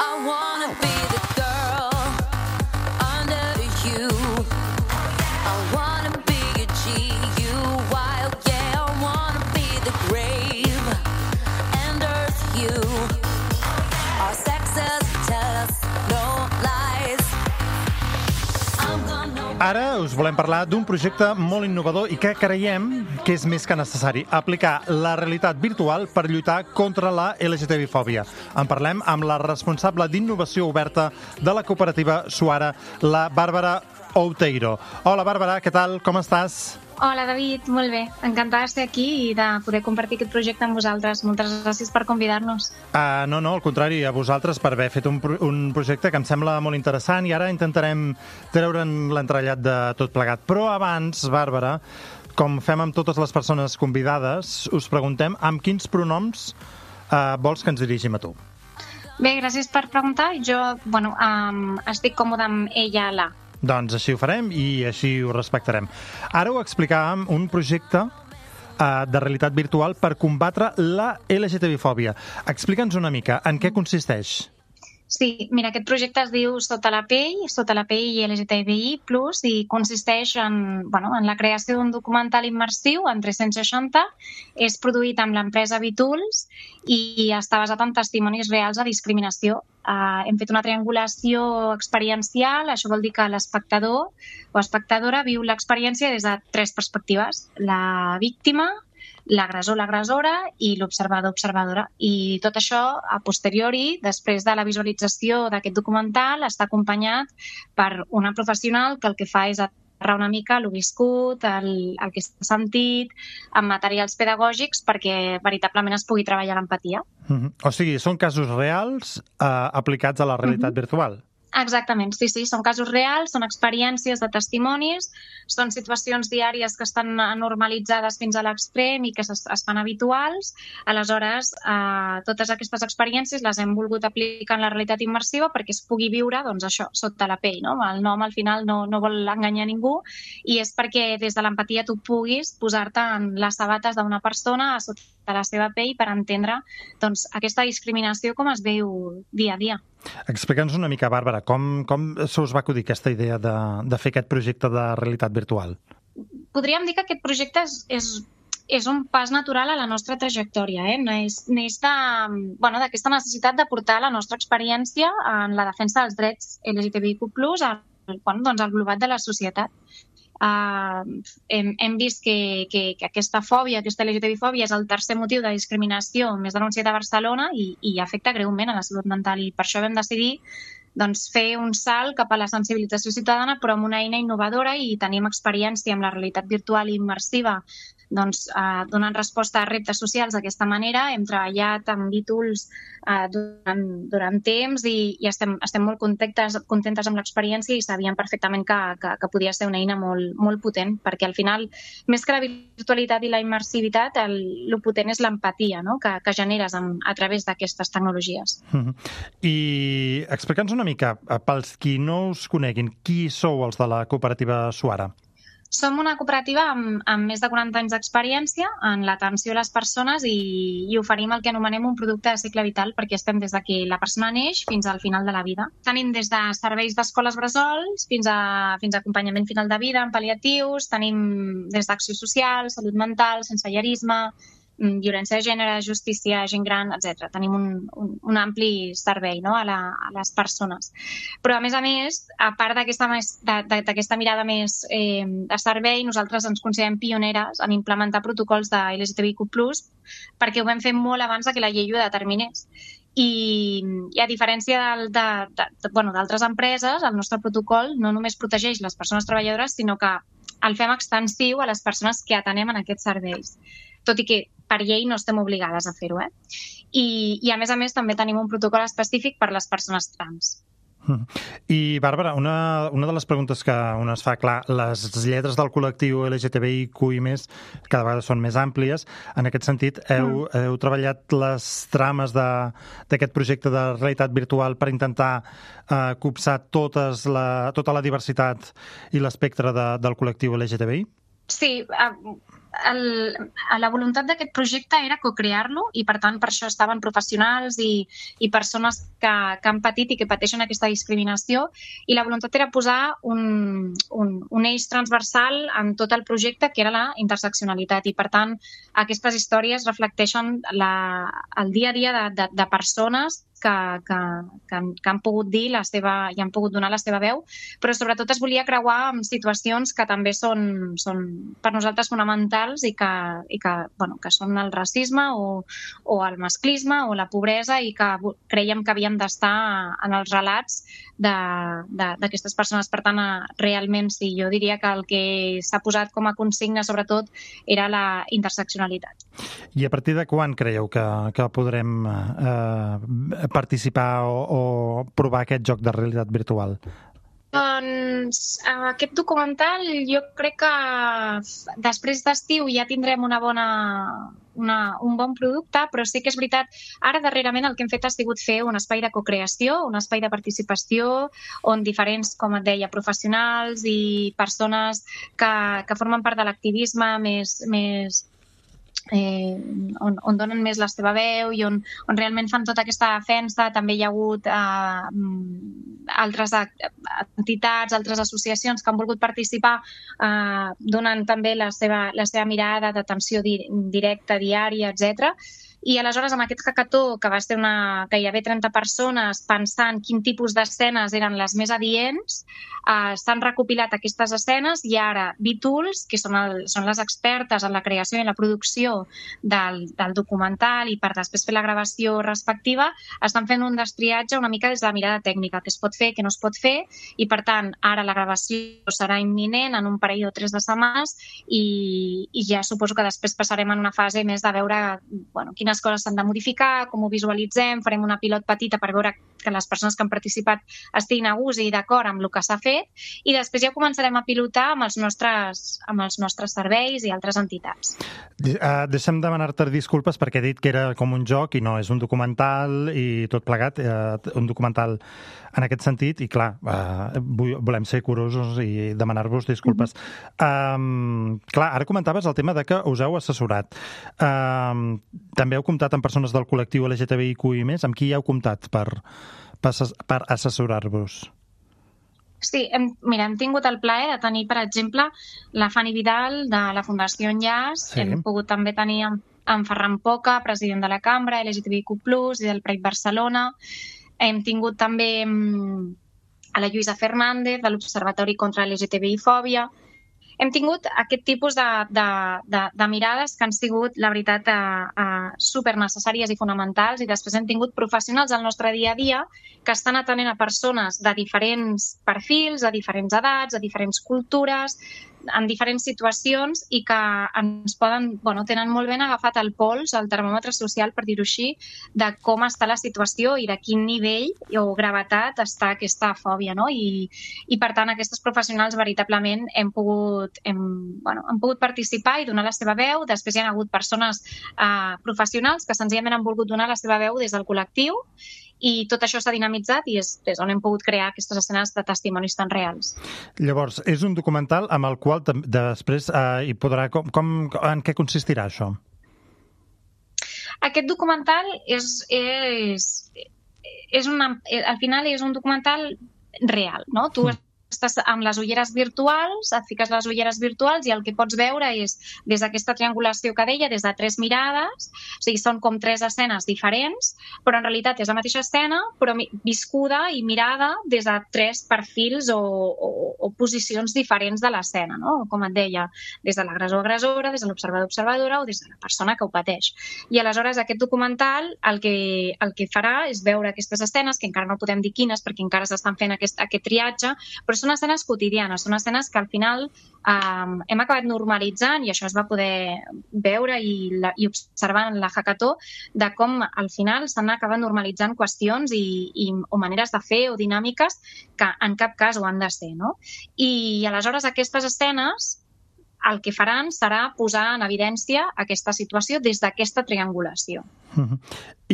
I wanna be the girl under you. I wanna be a G U wild, yeah. I wanna be the grave and earth you. Our sexes tell us no lies. I'm gonna... Ara us volem parlar d'un projecte molt innovador i que creiem que és més que necessari, aplicar la realitat virtual per lluitar contra la L G T B fòbia. En parlem amb la responsable d'innovació oberta de la cooperativa Suara, la Bàrbara Outeiro. Hola, Bàrbara, què tal? Com estàs? Hola, David, molt bé. Encantada de ser aquí i de poder compartir aquest projecte amb vosaltres. Moltes gràcies per convidar-nos. Uh, no, no, al contrari, a vosaltres per haver fet un, un projecte que em sembla molt interessant i ara intentarem treure'n l'entrellat de tot plegat. Però abans, Bàrbara, com fem amb totes les persones convidades, us preguntem amb quins pronoms Uh, vols que ens dirigim a tu? Bé, gràcies per preguntar. Jo, bueno, um, estic còmode amb ella, la. Doncs així ho farem i així ho respectarem. Ara ho explicàvem, un projecte uh, de realitat virtual per combatre la L G T B fòbia. Explica'ns una mica, en què consisteix? Sí, mira, aquest projecte es diu Sota la pell, Sota la pell i L G T B I plus, i consisteix en, bueno, en la creació d'un documental immersiu en tres-cents seixanta. És produït amb l'empresa Bitools i està basat en testimonis reals de discriminació. Uh, hem fet una triangulació experiencial, això vol dir que l'espectador o espectadora viu l'experiència des de tres perspectives: la víctima, l'agressor, l'agressora i l'observador, observadora. I tot això, a posteriori, després de la visualització d'aquest documental, està acompanyat per una professional que el que fa és aterrar una mica el viscut, el, el que s'ha sentit, amb materials pedagògics perquè veritablement es pugui treballar l'empatia. Uh-huh. O sigui, són casos reals eh, aplicats a la realitat uh-huh. virtual. Exactament, sí, sí, són casos reals, són experiències de testimonis, són situacions diàries que estan normalitzades fins a l'extrem i que es, es fan habituals. Aleshores, eh, totes aquestes experiències les hem volgut aplicar en la realitat immersiva perquè es pugui viure, doncs això, sota la pell, no? El nom al final no, no vol enganyar ningú i és perquè des de l'empatia tu puguis posar-te en les sabates d'una persona a sota de la seva pell per entendre, doncs, aquesta discriminació com es veu dia a dia. Explica'ns una mica, Bàrbara, com, com se us va acudir aquesta idea de, de fer aquest projecte de realitat virtual? Podríem dir que aquest projecte és, és, és un pas natural a la nostra trajectòria. Eh? Neix, neix de, bueno, d'aquesta necessitat de portar la nostra experiència en la defensa dels drets L G T B I Q plus, al, bueno, doncs, al globat de la societat. Uh, hem, hem vist que, que, que aquesta fòbia, aquesta L G T B fòbia és el tercer motiu de discriminació més denunciat a Barcelona i, i afecta greument a la salut mental, i per això vam decidir doncs, fer un salt cap a la sensibilització ciutadana, però amb una eina innovadora, i tenim experiència amb la realitat virtual i immersiva, doncs, eh, donant resposta a reptes socials d'aquesta manera. Hem treballat amb Bitools eh, durant, durant temps i, i estem, estem molt contentes, contentes amb l'experiència i sabíem perfectament que, que, que podia ser una eina molt, molt potent, perquè al final, més que la virtualitat i la immersivitat, el, el potent és l'empatia, no? que, que generes amb, a través d'aquestes tecnologies. Uh-huh. I explica'ns una mica, pels qui no us coneguin, qui sou els de la cooperativa Suara? Som una cooperativa amb, amb més de quaranta anys d'experiència en l'atenció a les persones i, i oferim el que anomenem un producte de cicle vital, perquè estem des de que la persona neix fins al final de la vida. Tenim des de serveis d'escoles bressols fins a, fins a acompanyament final de vida en pal·liatius, tenim des d'acció social, salut mental, sensellarisme, violència de gènere, justícia, gent gran, etcètera. Tenim un, un, un ampli servei, no? a, la, a les persones. Però, a més a més, a part d'aquesta mirada més eh, de servei, nosaltres ens considerem pioneres en implementar protocols de L G T B I Q plus, perquè ho vam fer molt abans que la llei ho determinés. I, i a diferència del, de, de, de, bueno, d'altres empreses, el nostre protocol no només protegeix les persones treballadores, sinó que el fem extensiu a les persones que atenem en aquests serveis, tot i que per llei no estem obligades a fer-ho. Eh? I, I a més a més també tenim un protocol específic per les persones trans. I, Bàrbara, una, una de les preguntes que un es fa, clar, les lletres del col·lectiu L G T B I Q i més cada vegada són més àmplies. En aquest sentit, heu, mm. heu treballat les trames d'aquest projecte de realitat virtual per intentar eh, copsar totes la, tota la diversitat i l'espectre de, del col·lectiu L G T B I? Sí, el, la voluntat d'aquest projecte era co-crear-lo i, per tant, per això estaven professionals i, i persones que, que han patit i que pateixen aquesta discriminació, i la voluntat era posar un, un, un eix transversal en tot el projecte, que era la interseccionalitat, i, per tant, aquestes històries reflecteixen la, el dia a dia de, de, de persones que, que, que, han, que han pogut dir la seva, i han pogut donar la seva veu, però sobretot es volia creuar amb situacions que també són, són per nosaltres fonamentals i que, i que, bueno, que són el racisme o, o el masclisme o la pobresa, i que creiem que havíem d'estar en els relats d'aquestes persones. Per tant, realment sí, jo diria que el que s'ha posat com a consigna sobretot era la interseccionalitat. I a partir de quan creieu que, que podrem eh, participar o, o provar aquest joc de realitat virtual? Doncs aquest documental jo crec que després d'estiu ja tindrem una bona, una, un bon producte, però sí que és veritat, ara darrerament el que hem fet ha sigut fer un espai de cocreació, un espai de participació, on diferents, com et deia, professionals i persones que, que formen part de l'activisme més, més Eh, on, on donen més la seva veu i on, on realment fan tota aquesta defensa. També hi ha hagut eh, altres entitats, altres associacions que han volgut participar eh, donant també la seva, la seva mirada d'atenció di directa, diària, etcètera. I aleshores amb aquest hackathó, que va ser una, gairebé trenta persones pensant quin tipus d'escenes eren les més adients, eh, s'han recopilat aquestes escenes i ara B-Tools, que són, el, són les expertes en la creació i en la producció del, del documental i per després fer la gravació respectiva, estan fent un destriatge una mica des de la mirada tècnica, que es pot fer, que no es pot fer, i per tant ara la gravació serà imminent en un parell o tres de setmanes i, i ja suposo que després passarem en una fase més de veure bueno, quines coses s'han de modificar, com ho visualitzem, farem una pilot petita per veure que les persones que han participat estiguin a gust i d'acord amb el que s'ha fet i després ja començarem a pilotar amb els nostres, amb els nostres serveis i altres entitats. Uh, deixa'm demanar-te disculpes perquè he dit que era com un joc i no, és un documental i tot plegat, uh, un documental en aquest sentit i clar, uh, volem ser curosos i demanar-vos disculpes. Mm-hmm. um, clar, ara comentaves el tema de que us heu assessorat. Um, també heu comptat amb persones del col·lectiu L G T B I Q i més? Amb qui heu comptat per, per, per assessorar-vos? Sí, hem, mira, hem tingut el plaer de tenir, per exemple, la Fanny Vidal de la Fundació Enllaç, sí. Hem pogut també tenir en, en Ferran Poca, president de la Cambra, L G T B I Q plus, i del Pride Barcelona. Hem tingut també a la Lluïsa Fernández, de l'Observatori contra L G T B I Fòbia. Hem tingut aquest tipus de, de, de, de mirades que han sigut, la veritat, eh, eh, super necessàries i fonamentals i després hem tingut professionals al nostre dia a dia que estan atenent a persones de diferents perfils, de diferents edats, de diferents cultures, en diferents situacions i que ens poden, bueno, tenen molt ben agafat el pols, el termòmetre social, per dir-ho així, de com està la situació i de quin nivell o gravetat està aquesta fòbia, no? I, i per tant, aquestes professionals veritablement hem pogut, hem, bueno, han pogut participar i donar la seva veu. Després hi ha hagut persones eh, professionals que senzillament han volgut donar la seva veu des del col·lectiu i tot això s'ha dinamitzat i és des on hem pogut crear aquestes escenes de testimonis tan reals. Llavors, és un documental amb el qual després eh, hi podrà... Com, com, en què consistirà això? Aquest documental és, és, és una, al final és un documental real, no? Tu mm. estàs amb les ulleres virtuals, et fiques les ulleres virtuals i el que pots veure és, des d'aquesta triangulació que deia, des de tres mirades, o sigui, són com tres escenes diferents, però en realitat és la mateixa escena, però viscuda i mirada des de tres perfils o, o, o posicions diferents de l'escena, no? Com et deia, des de l'agressor-agressora, des de l'observador-observadora o des de la persona que ho pateix. I aleshores aquest documental el que, el que farà és veure aquestes escenes, que encara no podem dir quines perquè encara s'estan fent aquest, aquest triatge, però són escenes quotidianes, són escenes que al final um, hem acabat normalitzant i això es va poder veure i, la, i observar en la hackathó de com al final s'han acabat normalitzant qüestions i, i, o maneres de fer o dinàmiques que en cap cas ho han de ser, no? I aleshores aquestes escenes el que faran serà posar en evidència aquesta situació des d'aquesta triangulació. Uh-huh.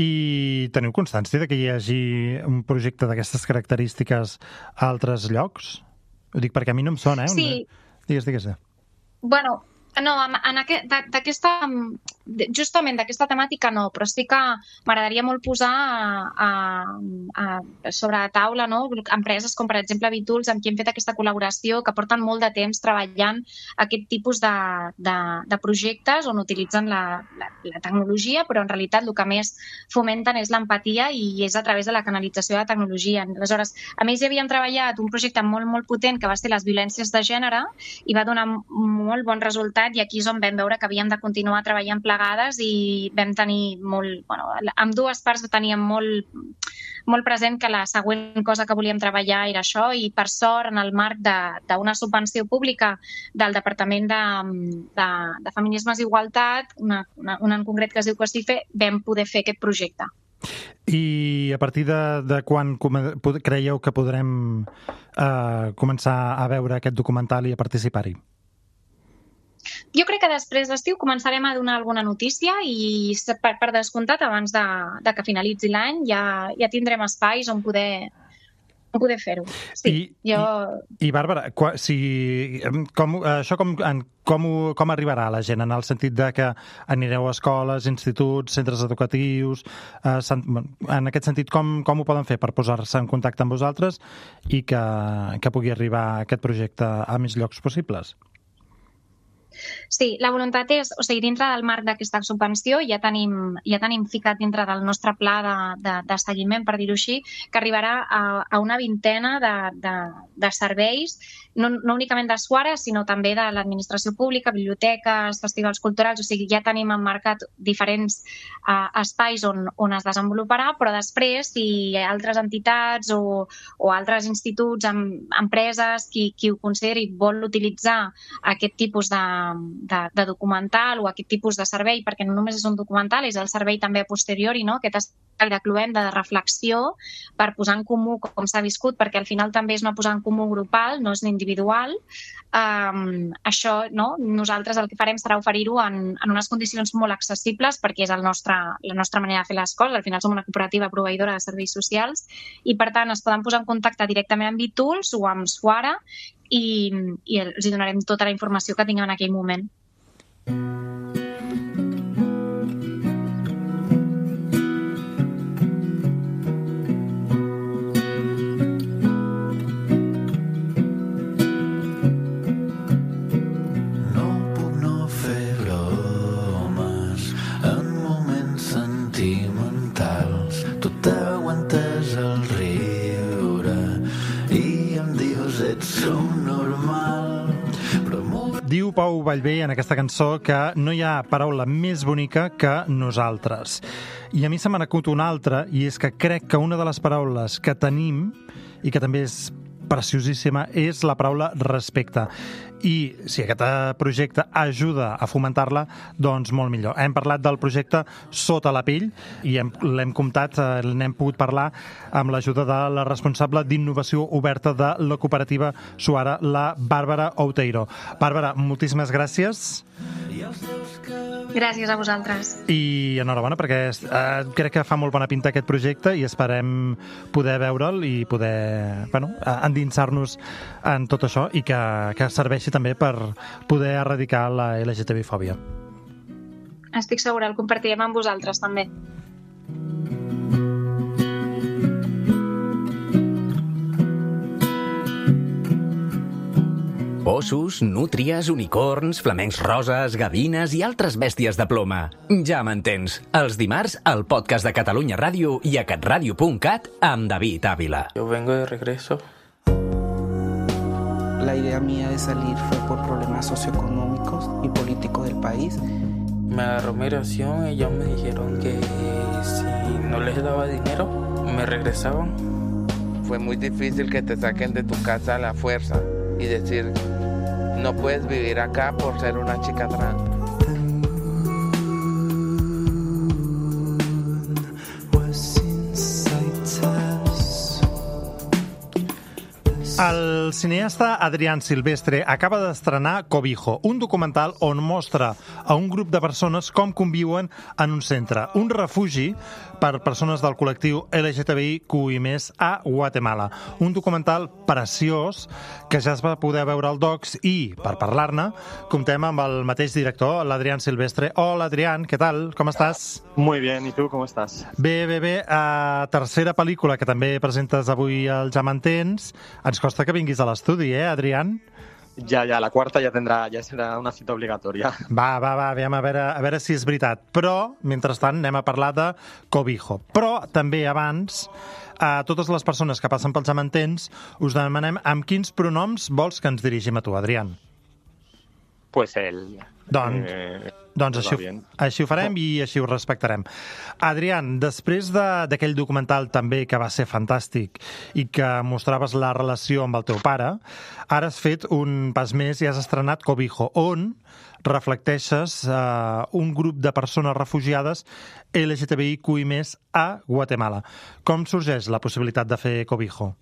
I teniu constància de que hi hagi un projecte d'aquestes característiques a altres llocs? Ho dic perquè a mi no em sona, eh? Sí. Digues, digues. Bueno, no, en aquest, d'aquesta, justament d'aquesta temàtica no, però sí que m'agradaria molt posar a, a, a, sobre la taula, no? Empreses com per exemple B-Tools amb qui hem fet aquesta col·laboració que porten molt de temps treballant aquest tipus de, de, de projectes on utilitzen la, la, la tecnologia, però en realitat el que més fomenten és l'empatia i és a través de la canalització de la tecnologia. Aleshores, a més hi havien treballat un projecte molt, molt potent que va ser les violències de gènere i va donar molt bon resultat i aquí és on vam veure que havíem de continuar treballant plegades i vam tenir molt... Bueno, amb dues parts teníem molt, molt present que la següent cosa que volíem treballar era això i per sort en el marc d'una subvenció pública del Departament de, de, de Feminismes i Igualtat, una, una, una en concret que es diu COSIFE, vam poder fer aquest projecte. I a partir de, de quan creieu que podrem eh, començar a veure aquest documental i a participar-hi? Jo crec que després d'estiu començarem a donar alguna notícia i per, per descomptat abans de, de que finalitzi l'any ja, ja tindrem espais on poder, on poder fer-ho. Sí, I, jo... I, i Bàrbara, qua, si, com, això com, en, com, ho- com arribarà a la gent? En el sentit de que anireu a escoles, instituts, centres educatius... Eh, sant, en aquest sentit, com, com ho poden fer per posar-se en contacte amb vosaltres i que, que pugui arribar aquest projecte a més llocs possibles? Sí, la voluntat és, o sigui, dintre del marc d'aquesta subvenció ja tenim, ja tenim ficat dintre del nostre pla de, de, de seguiment, per dir-ho així, que arribarà a, a una vintena de, de, de serveis, no, no únicament de Suara, sinó també de l'administració pública, biblioteques, festivals culturals, o sigui, ja tenim emmarcat diferents uh, espais on, on es desenvoluparà, però després, si altres entitats o, o altres instituts, em, empreses, qui, qui ho consideri vol utilitzar aquest tipus de, de, de documental o aquest tipus de servei, perquè no només és un documental, és el servei també a posteriori, no? Aquest espai de cluenda, de reflexió, per posar en comú com s'ha viscut, perquè al final també és una posar en comú grupal, no és individual. Um, això, no? Nosaltres el que farem serà oferir-ho en, en unes condicions molt accessibles, perquè és el nostre, la nostra manera de fer les coses. Al final som una cooperativa proveïdora de serveis socials i, per tant, es poden posar en contacte directament amb Bitools o amb Suara i, i els hi donarem tota la informació que tinguem en aquell moment. No puc no fer bromes en moments sentimentals. Tu t'aguantes el riure i em dius ets subnormal. Però molt... Diu Pau Vallvé en aquesta cançó que no hi ha paraula més bonica que nosaltres. I a mi se m'ha acut una altra, i és que crec que una de les paraules que tenim, i que també és preciosíssima, és la paraula respecte. I si aquest projecte ajuda a fomentar-la, doncs molt millor. Hem parlat del projecte Sota la pell i hem, l'hem comptat, eh, n'hem pogut parlar amb l'ajuda de la responsable d'innovació oberta de la cooperativa Suara, la Bàrbara Outeiro. Bàrbara, moltíssimes gràcies. Gràcies a vosaltres. I enhorabona, perquè eh, crec que fa molt bona pinta aquest projecte i esperem poder veure'l i poder, bueno, endinsar-nos en tot això i que, que serveixi també per poder erradicar la L G T B fòbia. Estic segura, el compartirem amb vosaltres també. Ossos, nútries, unicorns, flamencs roses, gavines i altres bèsties de ploma. Ja m'entens. Els dimarts, al podcast de Catalunya Ràdio i a catradio punt cat amb David Ávila. Yo vengo de regreso. La idea mía de salir fue por problemas socioeconómicos y políticos del país. Me agarró migración y ellos me dijeron que si no les daba dinero, me regresaban. Fue muy difícil que te saquen de tu casa a la fuerza y decir, no puedes vivir acá por ser una chica trans. El cineasta Adrián Silvestre acaba d'estrenar Cobijo, un documental on mostra a un grup de persones com conviuen en un centre, un refugi per persones del col·lectiu L G T B I Q i més a Guatemala. Un documental preciós que ja es va poder veure al Docs i, per parlar-ne, comptem amb el mateix director, l'Adrián Silvestre. Hola, Adrián, què tal? Com estàs? Muy bien, ¿y tú cómo estás? Bé, bé, bé. Uh, tercera pel·lícula que també presentes avui al Ja m'entens. Ens costa que vinguis a l'estudi, eh, Adrián? Ya, ya, la cuarta ya tendrá, ya será una cita obligatoria. Va, va, va, aviam, a veure, a veure si és veritat. Però, mentrestant, anem a parlar de Cobijo. Però, també abans, a totes les persones que passen pels Ja m'entens, us demanem amb quins pronoms vols que ens dirigim a tu, Adrián. Pues él. Doncs, Eh, doncs va així, bien. així ho farem i així ho respectarem. Adrián, després de- d'aquell documental també que va ser fantàstic i que mostraves la relació amb el teu pare, ara has fet un pas més i has estrenat Cobijo, on reflecteixes eh, un grup de persones refugiades L G T B I Q i més a Guatemala. Com sorgeix la possibilitat de fer Cobijo?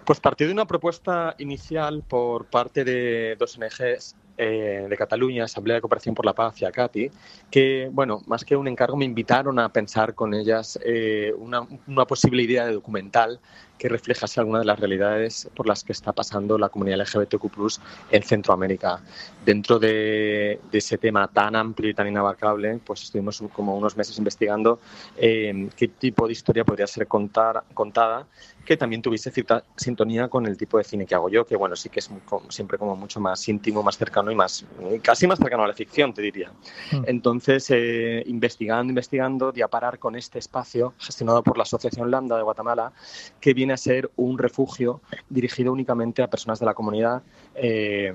Pues partió de una propuesta inicial por parte de dos O N Ges eh, de Cataluña, Asamblea de Cooperación por la Paz y a Katy, que, bueno, más que un encargo, me invitaron a pensar con ellas eh, una, una posible idea de documental que reflejase alguna de las realidades por las que está pasando la comunidad L G B T Q plus, en Centroamérica. Dentro de, de ese tema tan amplio y tan inabarcable, pues estuvimos como unos meses investigando eh, qué tipo de historia podría ser contar, contada, que también tuviese cierta sintonía con el tipo de cine que hago yo, que bueno, sí que es muy, como, siempre como mucho más íntimo, más cercano y más, casi más cercano a la ficción, te diría. Mm. Entonces, eh, investigando, investigando, di a parar con este espacio gestionado por la Asociación Lambda de Guatemala, que viene a ser un refugio dirigido únicamente a personas de la comunidad, eh,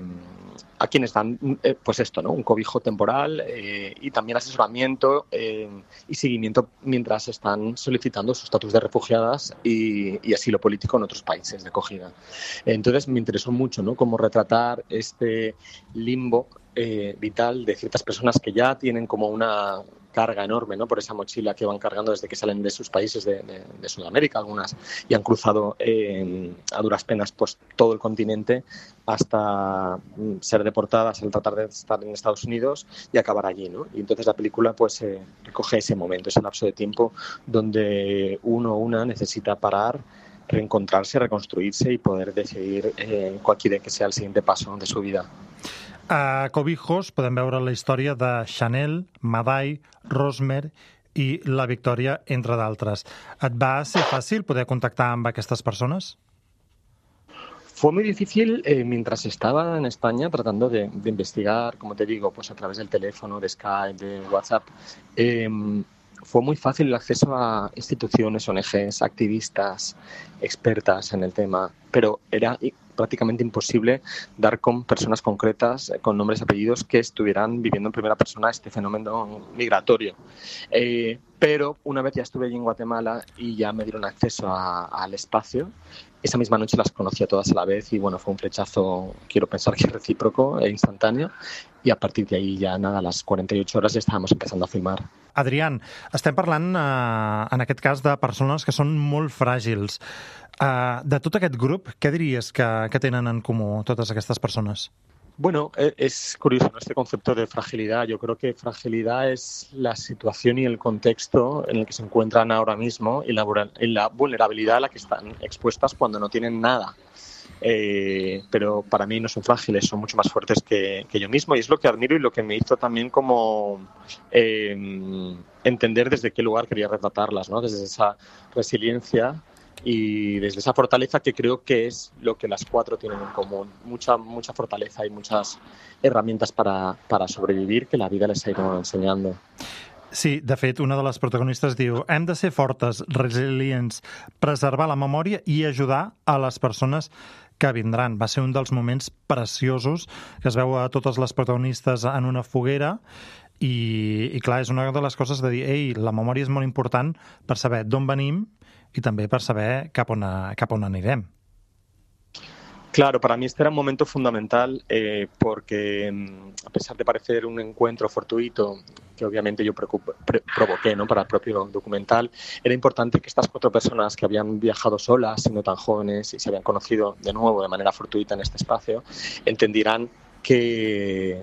a quienes dan, eh, pues esto, ¿no? Un cobijo temporal eh, y también asesoramiento eh, y seguimiento mientras están solicitando su estatus de refugiadas y, y asilo político en otros países de acogida. Entonces me interesó mucho, ¿no? Cómo retratar este limbo eh, vital de ciertas personas que ya tienen como una carga enorme, ¿no? Por esa mochila que van cargando desde que salen de sus países de, de, de Sudamérica, algunas, y han cruzado eh, a duras penas pues todo el continente hasta ser deportadas al tratar de estar en Estados Unidos y acabar allí, ¿no? Y entonces la película pues eh, recoge ese momento, ese lapso de tiempo donde uno o una necesita parar, reencontrarse, reconstruirse y poder decidir eh, cuál quiere que sea el siguiente paso de su vida. A Cobijos podem veure la història de Chanel, Madai, Rosmer i la Victòria, entre d'altres. Et va ser fàcil poder contactar amb aquestes persones? Fue muy difícil eh, mientras estaba en España tratando de, de investigar, como te digo, pues a través del teléfono, de Skype, de WhatsApp. Eh, fue muy fácil el acceso a instituciones, O N Ges, activistas, expertas en el tema, pero era prácticamente imposible dar con personas concretas, con nombres y apellidos, que estuvieran viviendo en primera persona este fenómeno migratorio. Eh, pero una vez ya estuve allí en Guatemala y ya me dieron acceso a, al espacio, esa misma noche las conocí a todas a la vez y bueno, fue un flechazo, quiero pensar que recíproco e instantáneo, i a partir d'ahir ja nada, a les quaranta-ocho hores ja estàvem empezando a filmar. Adrián, estem parlant eh, en aquest cas de persones que són molt fràgils. Eh, de tot aquest grup, què diries que, que tenen en comú totes aquestes persones? Bueno, es curioso, ¿no? Este concepto de fragilidad. Yo creo que fragilidad es la situación y el contexto en el que se encuentran ahora mismo y la, y la vulnerabilidad a la que están expuestas cuando no tienen nada. Eh, pero para mí no son frágiles, son mucho más fuertes que, que yo mismo, y es lo que admiro y lo que me hizo también como eh, entender desde qué lugar quería retratarlas, ¿no? Desde esa resiliencia y desde esa fortaleza que creo que es lo que las cuatro tienen en común. Mucha, mucha fortaleza y muchas herramientas para, para sobrevivir que la vida les ha ido enseñando. Sí, de fet, una de les protagonistes diu: hem de ser fortes, resilients, preservar la memòria i ajudar a les persones que vindran. Va ser un dels moments preciosos que es veu a totes les protagonistes en una foguera i, i clar, és una de les coses de dir, ei, la memòria és molt important per saber d'on venim i també per saber cap on, cap on anirem. Claro, para mí este era un momento fundamental eh, porque a pesar de parecer un encuentro fortuito, que obviamente yo provoqué, ¿no? Para el propio documental, era importante que estas cuatro personas que habían viajado solas, siendo tan jóvenes y se habían conocido de nuevo de manera fortuita en este espacio, entendieran que,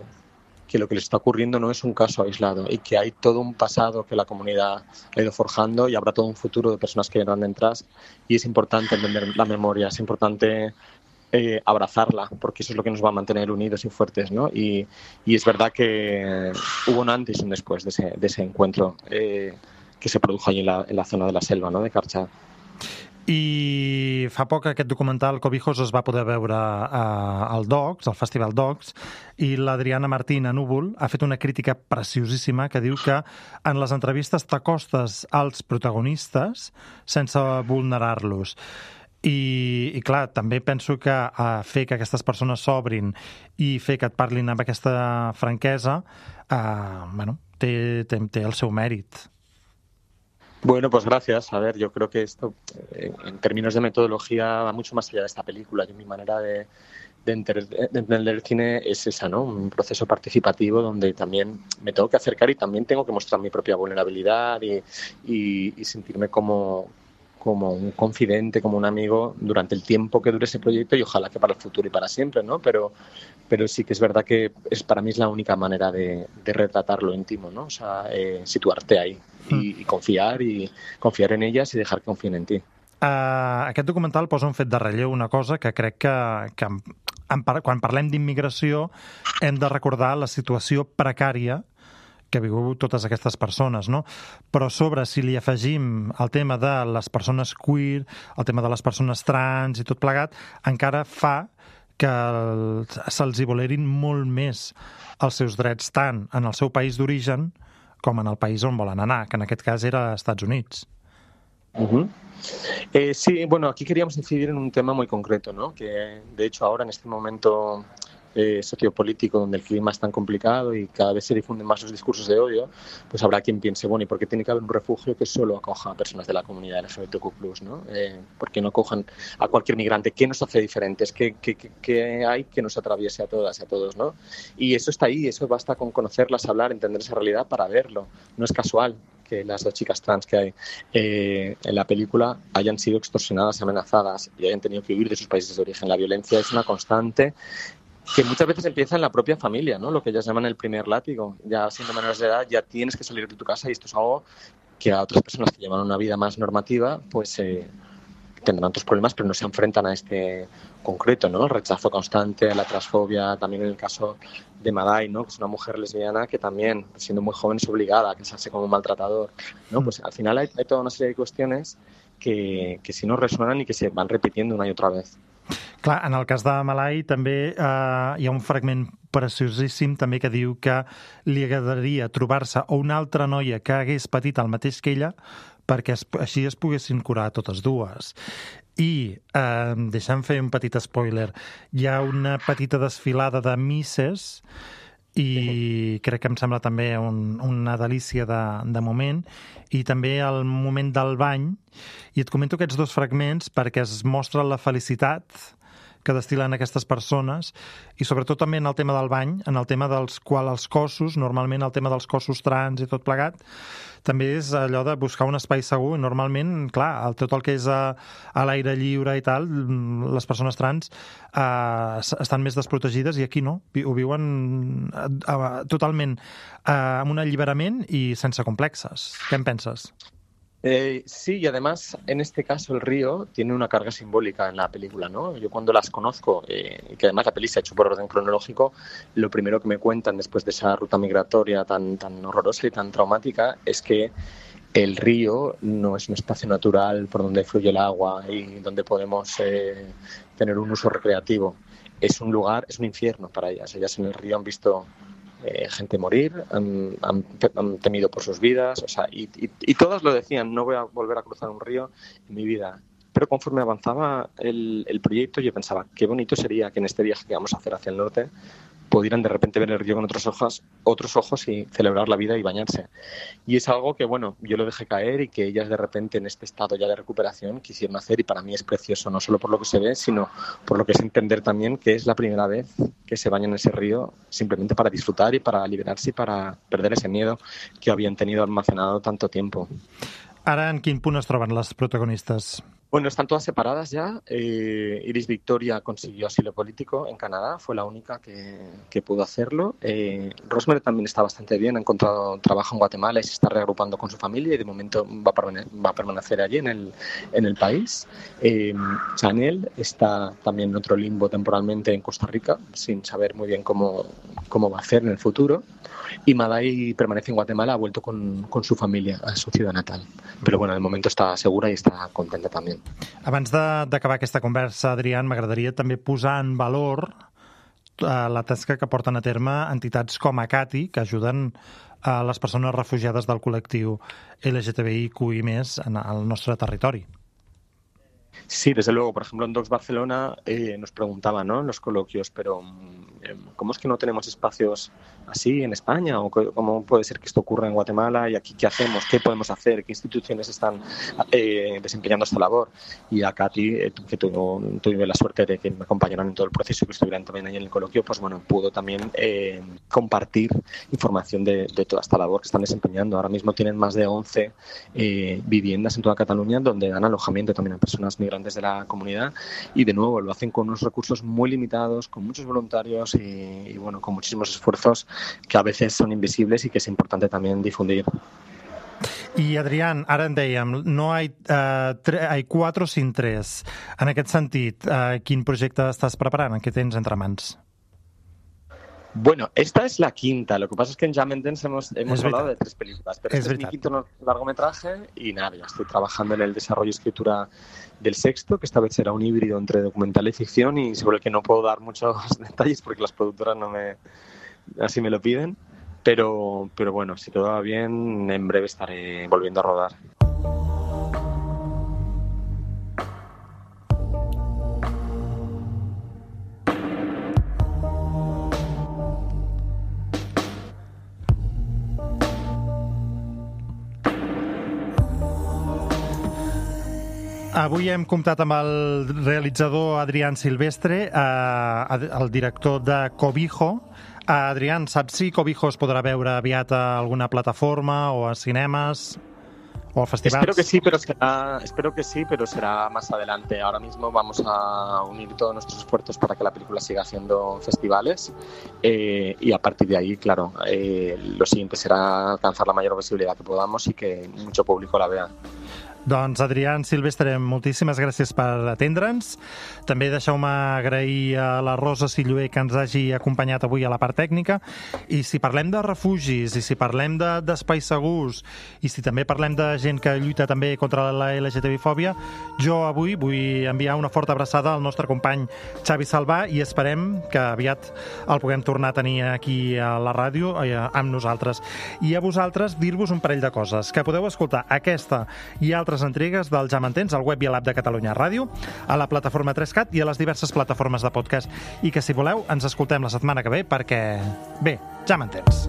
que lo que les está ocurriendo no es un caso aislado y que hay todo un pasado que la comunidad ha ido forjando y habrá todo un futuro de personas que vendrán detrás, y es importante entender la memoria, es importante Eh, abrazarla, porque eso es lo que nos va a mantener unidos y fuertes, ¿no? Y, y es verdad que hubo un antes y un después de ese, de ese encuentro eh, que se produjo allí en la, en la zona de la selva, ¿no? De Carchá. I fa poc aquest documental Cobijos es va poder veure a, al Docs, al Festival Docs, i l'Adriana Martín a Núvol ha fet una crítica preciosíssima que diu que en les entrevistes t'acostes als protagonistes sense vulnerar-los. I, i clar, també penso que uh, fer que aquestes persones s'obrin i fer que et parlin amb aquesta franquesa uh, bueno, té, té, té el seu mèrit. Bueno, pues gracias. A ver, yo creo que esto, eh, en términos de metodología, va mucho más allá de esta película. Yo, mi manera de, de, enter, de entender el cine es esa, ¿no? Un proceso participativo donde también me tengo que acercar y también tengo que mostrar mi propia vulnerabilidad y, y, y sentirme como... como un confidente, como un amigo durante el tiempo que dure ese proyecto y ojalá que para el futuro y para siempre, ¿no? Pero, pero sí que es verdad que es, para mí es la única manera de, de retratar lo íntimo, ¿no? O sea, eh, situarte ahí y, y confiar y confiar en ellas y dejar que confíen en ti. Uh, aquest documental posa un fet de relleu, una cosa que crec que, que en, en, quan parlem d'immigració hem de recordar la situació precària que viu totes aquestes persones, no? Però a sobre, si li afegim el tema de les persones queer, el tema de les persones trans i tot plegat, encara fa que el, se'ls hi volerin molt més els seus drets tant en el seu país d'origen com en el país on volen anar, que en aquest cas era als Estats Units. Uh-huh. Eh, sí, bueno, aquí queríamos incidir en un tema muy concreto, ¿no? Que de hecho ahora en este momento eh, sociopolítico donde el clima es tan complicado y cada vez se difunden más los discursos de odio, pues habrá quien piense, bueno, ¿y por qué tiene que haber un refugio que solo acoja a personas de la comunidad L G B T Q plus, ¿no? Eh, ¿Por qué no acojan a cualquier migrante? ¿Qué nos hace diferentes? ¿Qué, qué, qué, qué hay que nos atraviese a todas y a todos, ¿no? Y eso está ahí, eso basta con conocerlas, hablar, entender esa realidad para verlo. No es casual que las dos chicas trans que hay eh, en la película hayan sido extorsionadas y amenazadas y hayan tenido que huir de sus países de origen. La violencia es una constante que muchas veces empieza en la propia familia, ¿no? Lo que ellas llaman el primer látigo. Ya siendo menores de edad ya tienes que salir de tu casa y esto es algo que a otras personas que llevan una vida más normativa pues eh, tendrán otros problemas, pero no se enfrentan a este concreto, ¿no? El rechazo constante, la transfobia, también en el caso de Madai, ¿no? Que es una mujer lesbiana que también, siendo muy joven, es obligada a casarse con un maltratador, ¿no? Pues al final hay, hay toda una serie de cuestiones que, que sí nos resuenan y que se van repitiendo una y otra vez. Clar, en el cas de Malai també eh, hi ha un fragment preciosíssim també que diu que li agradaria trobar-se una altra noia que hagués patit el mateix que ella perquè es, així es poguessin curar totes dues. I, eh, deixa'm fer un petit spoiler, hi ha una petita desfilada de misses i crec que em sembla també un, una delícia de, de moment, i també el moment del bany, i et comento aquests dos fragments perquè es mostra la felicitat que destil·len aquestes persones i sobretot també en el tema del bany, en el tema dels quals els cossos, normalment el tema dels cossos trans i tot plegat, també és allò de buscar un espai segur i normalment, clar, el, tot el que és a, a l'aire lliure i tal, les persones trans eh, estan més desprotegides i aquí no, ho viuen eh, totalment eh, amb un alliberament i sense complexes. Què en penses? Eh, sí, y además, en este caso, el río tiene una carga simbólica en la película, ¿no? Yo cuando las conozco, eh, y que además la peli se ha hecho por orden cronológico, lo primero que me cuentan después de esa ruta migratoria tan, tan horrorosa y tan traumática es que el río no es un espacio natural por donde fluye el agua y donde podemos eh, tener un uso recreativo. Es un lugar, es un infierno para ellas. Ellas en el río han visto Eh, gente morir, han, han, han temido por sus vidas, o sea, y, y, y todas lo decían, no voy a volver a cruzar un río en mi vida. Pero conforme avanzaba el, el proyecto, yo pensaba, qué bonito sería que en este viaje que vamos a hacer hacia el norte pudieran de repente ver el río con otros ojos, otros ojos y celebrar la vida y bañarse. Y es algo que, bueno, yo lo dejé caer y que ellas de repente en este estado ya de recuperación quisieron hacer y para mí es precioso, no solo por lo que se ve, sino por lo que es entender también que es la primera vez que se bañan en ese río simplemente para disfrutar y para liberarse y para perder ese miedo que habían tenido almacenado tanto tiempo. Ara, en quin punt es troben les protagonistes? Bueno, están todas separadas ya. Eh, Iris Victoria consiguió asilo político en Canadá, fue la única que, que pudo hacerlo. Eh, Rosemary también está bastante bien, ha encontrado trabajo en Guatemala y se está reagrupando con su familia y de momento va a, permane- va a permanecer allí en el, en el país. Eh, Chanel está también en otro limbo temporalmente en Costa Rica, sin saber muy bien cómo, cómo va a hacer en el futuro. Y Madai permanece en Guatemala, ha vuelto con, con su familia a su ciudad natal. Pero bueno, de momento está segura y está contenta también. Abans de- d'acabar aquesta conversa, Adrián, m'agradaria també posar en valor eh, la tasca que porten a terme entitats com Acati, que ajuden a les persones refugiades del col·lectiu L G T B I Q I més, en el nostre territori. Sí, desde luego. Por ejemplo, en Docs Barcelona eh, nos preguntaban, ¿no?, en los coloquios, pero eh, ¿cómo es que no tenemos espacios así en España? ¿O cómo puede ser que esto ocurra en Guatemala? ¿Y aquí qué hacemos? ¿Qué podemos hacer? ¿Qué instituciones están eh, desempeñando esta labor? Y a Katy, eh, que tuvo, tuve la suerte de que me acompañaran en todo el proceso y que estuvieran también ahí en el coloquio, pues bueno, pudo también eh, compartir información de, de toda esta labor que están desempeñando. Ahora mismo tienen más de once eh, viviendas en toda Cataluña donde dan alojamiento también a personas migrantes de la comunidad y de nuevo lo hacen con unos recursos muy limitados, con muchos voluntarios años y, y bueno, con muchísimos esfuerzos que a veces son invisibles y que es importante también difundir. I, Adrián, ara en dèiem, no hay, uh, tre- hay quatre sin tres. En aquest sentit, uh, quin projecte estàs preparant? Què tens entre mans? Bueno, esta es la quinta. Lo que pasa es que en Jam and Dance hemos, hemos Es hablado verdad. de tres películas, pero Es este es mi verdad. quinto largometraje y nada, ya estoy trabajando en el desarrollo y escritura del sexto, que esta vez será un híbrido entre documental y ficción y sobre el que no puedo dar muchos detalles porque las productoras no me así me lo piden, pero, pero bueno, si todo va bien, en breve estaré volviendo a rodar. Avui hem comptat amb el realitzador Adrián Silvestre, eh, el director de Cobijo. Eh, Adrián, saps si Cobijo es podrà veure aviat a alguna plataforma o a cinemes o a festivals? Espero que sí, pero será, espero que sí, pero será más adelante. Ahora mismo vamos a unir todos nuestros esfuerzos para que la película siga haciendo festivales eh, y a partir de ahí, claro, eh, lo siguiente será alcanzar la mayor visibilidad que podamos y que mucho público la vea. Doncs, Adrián Silvestre, moltíssimes gràcies per atendre'ns. També deixeu-me agrair a la Rosa Silluer que ens hagi acompanyat avui a la part tècnica. I si parlem de refugis, i si parlem de- d'espais segurs, i si també parlem de gent que lluita també contra la L G T B fòbia, jo avui vull enviar una forta abraçada al nostre company Xavi Salvà i esperem que aviat el puguem tornar a tenir aquí a la ràdio eh, amb nosaltres. I a vosaltres dir-vos un parell de coses, que podeu escoltar aquesta i altres entregues del Ja m'entens al web i a l'app de Catalunya Ràdio, a la plataforma tres cat i a les diverses plataformes de podcast. I que, si voleu, ens escoltem la setmana que ve perquè, bé, ja m'entens.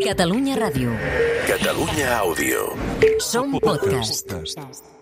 Catalunya Ràdio. Catalunya Àudio. Som podcast.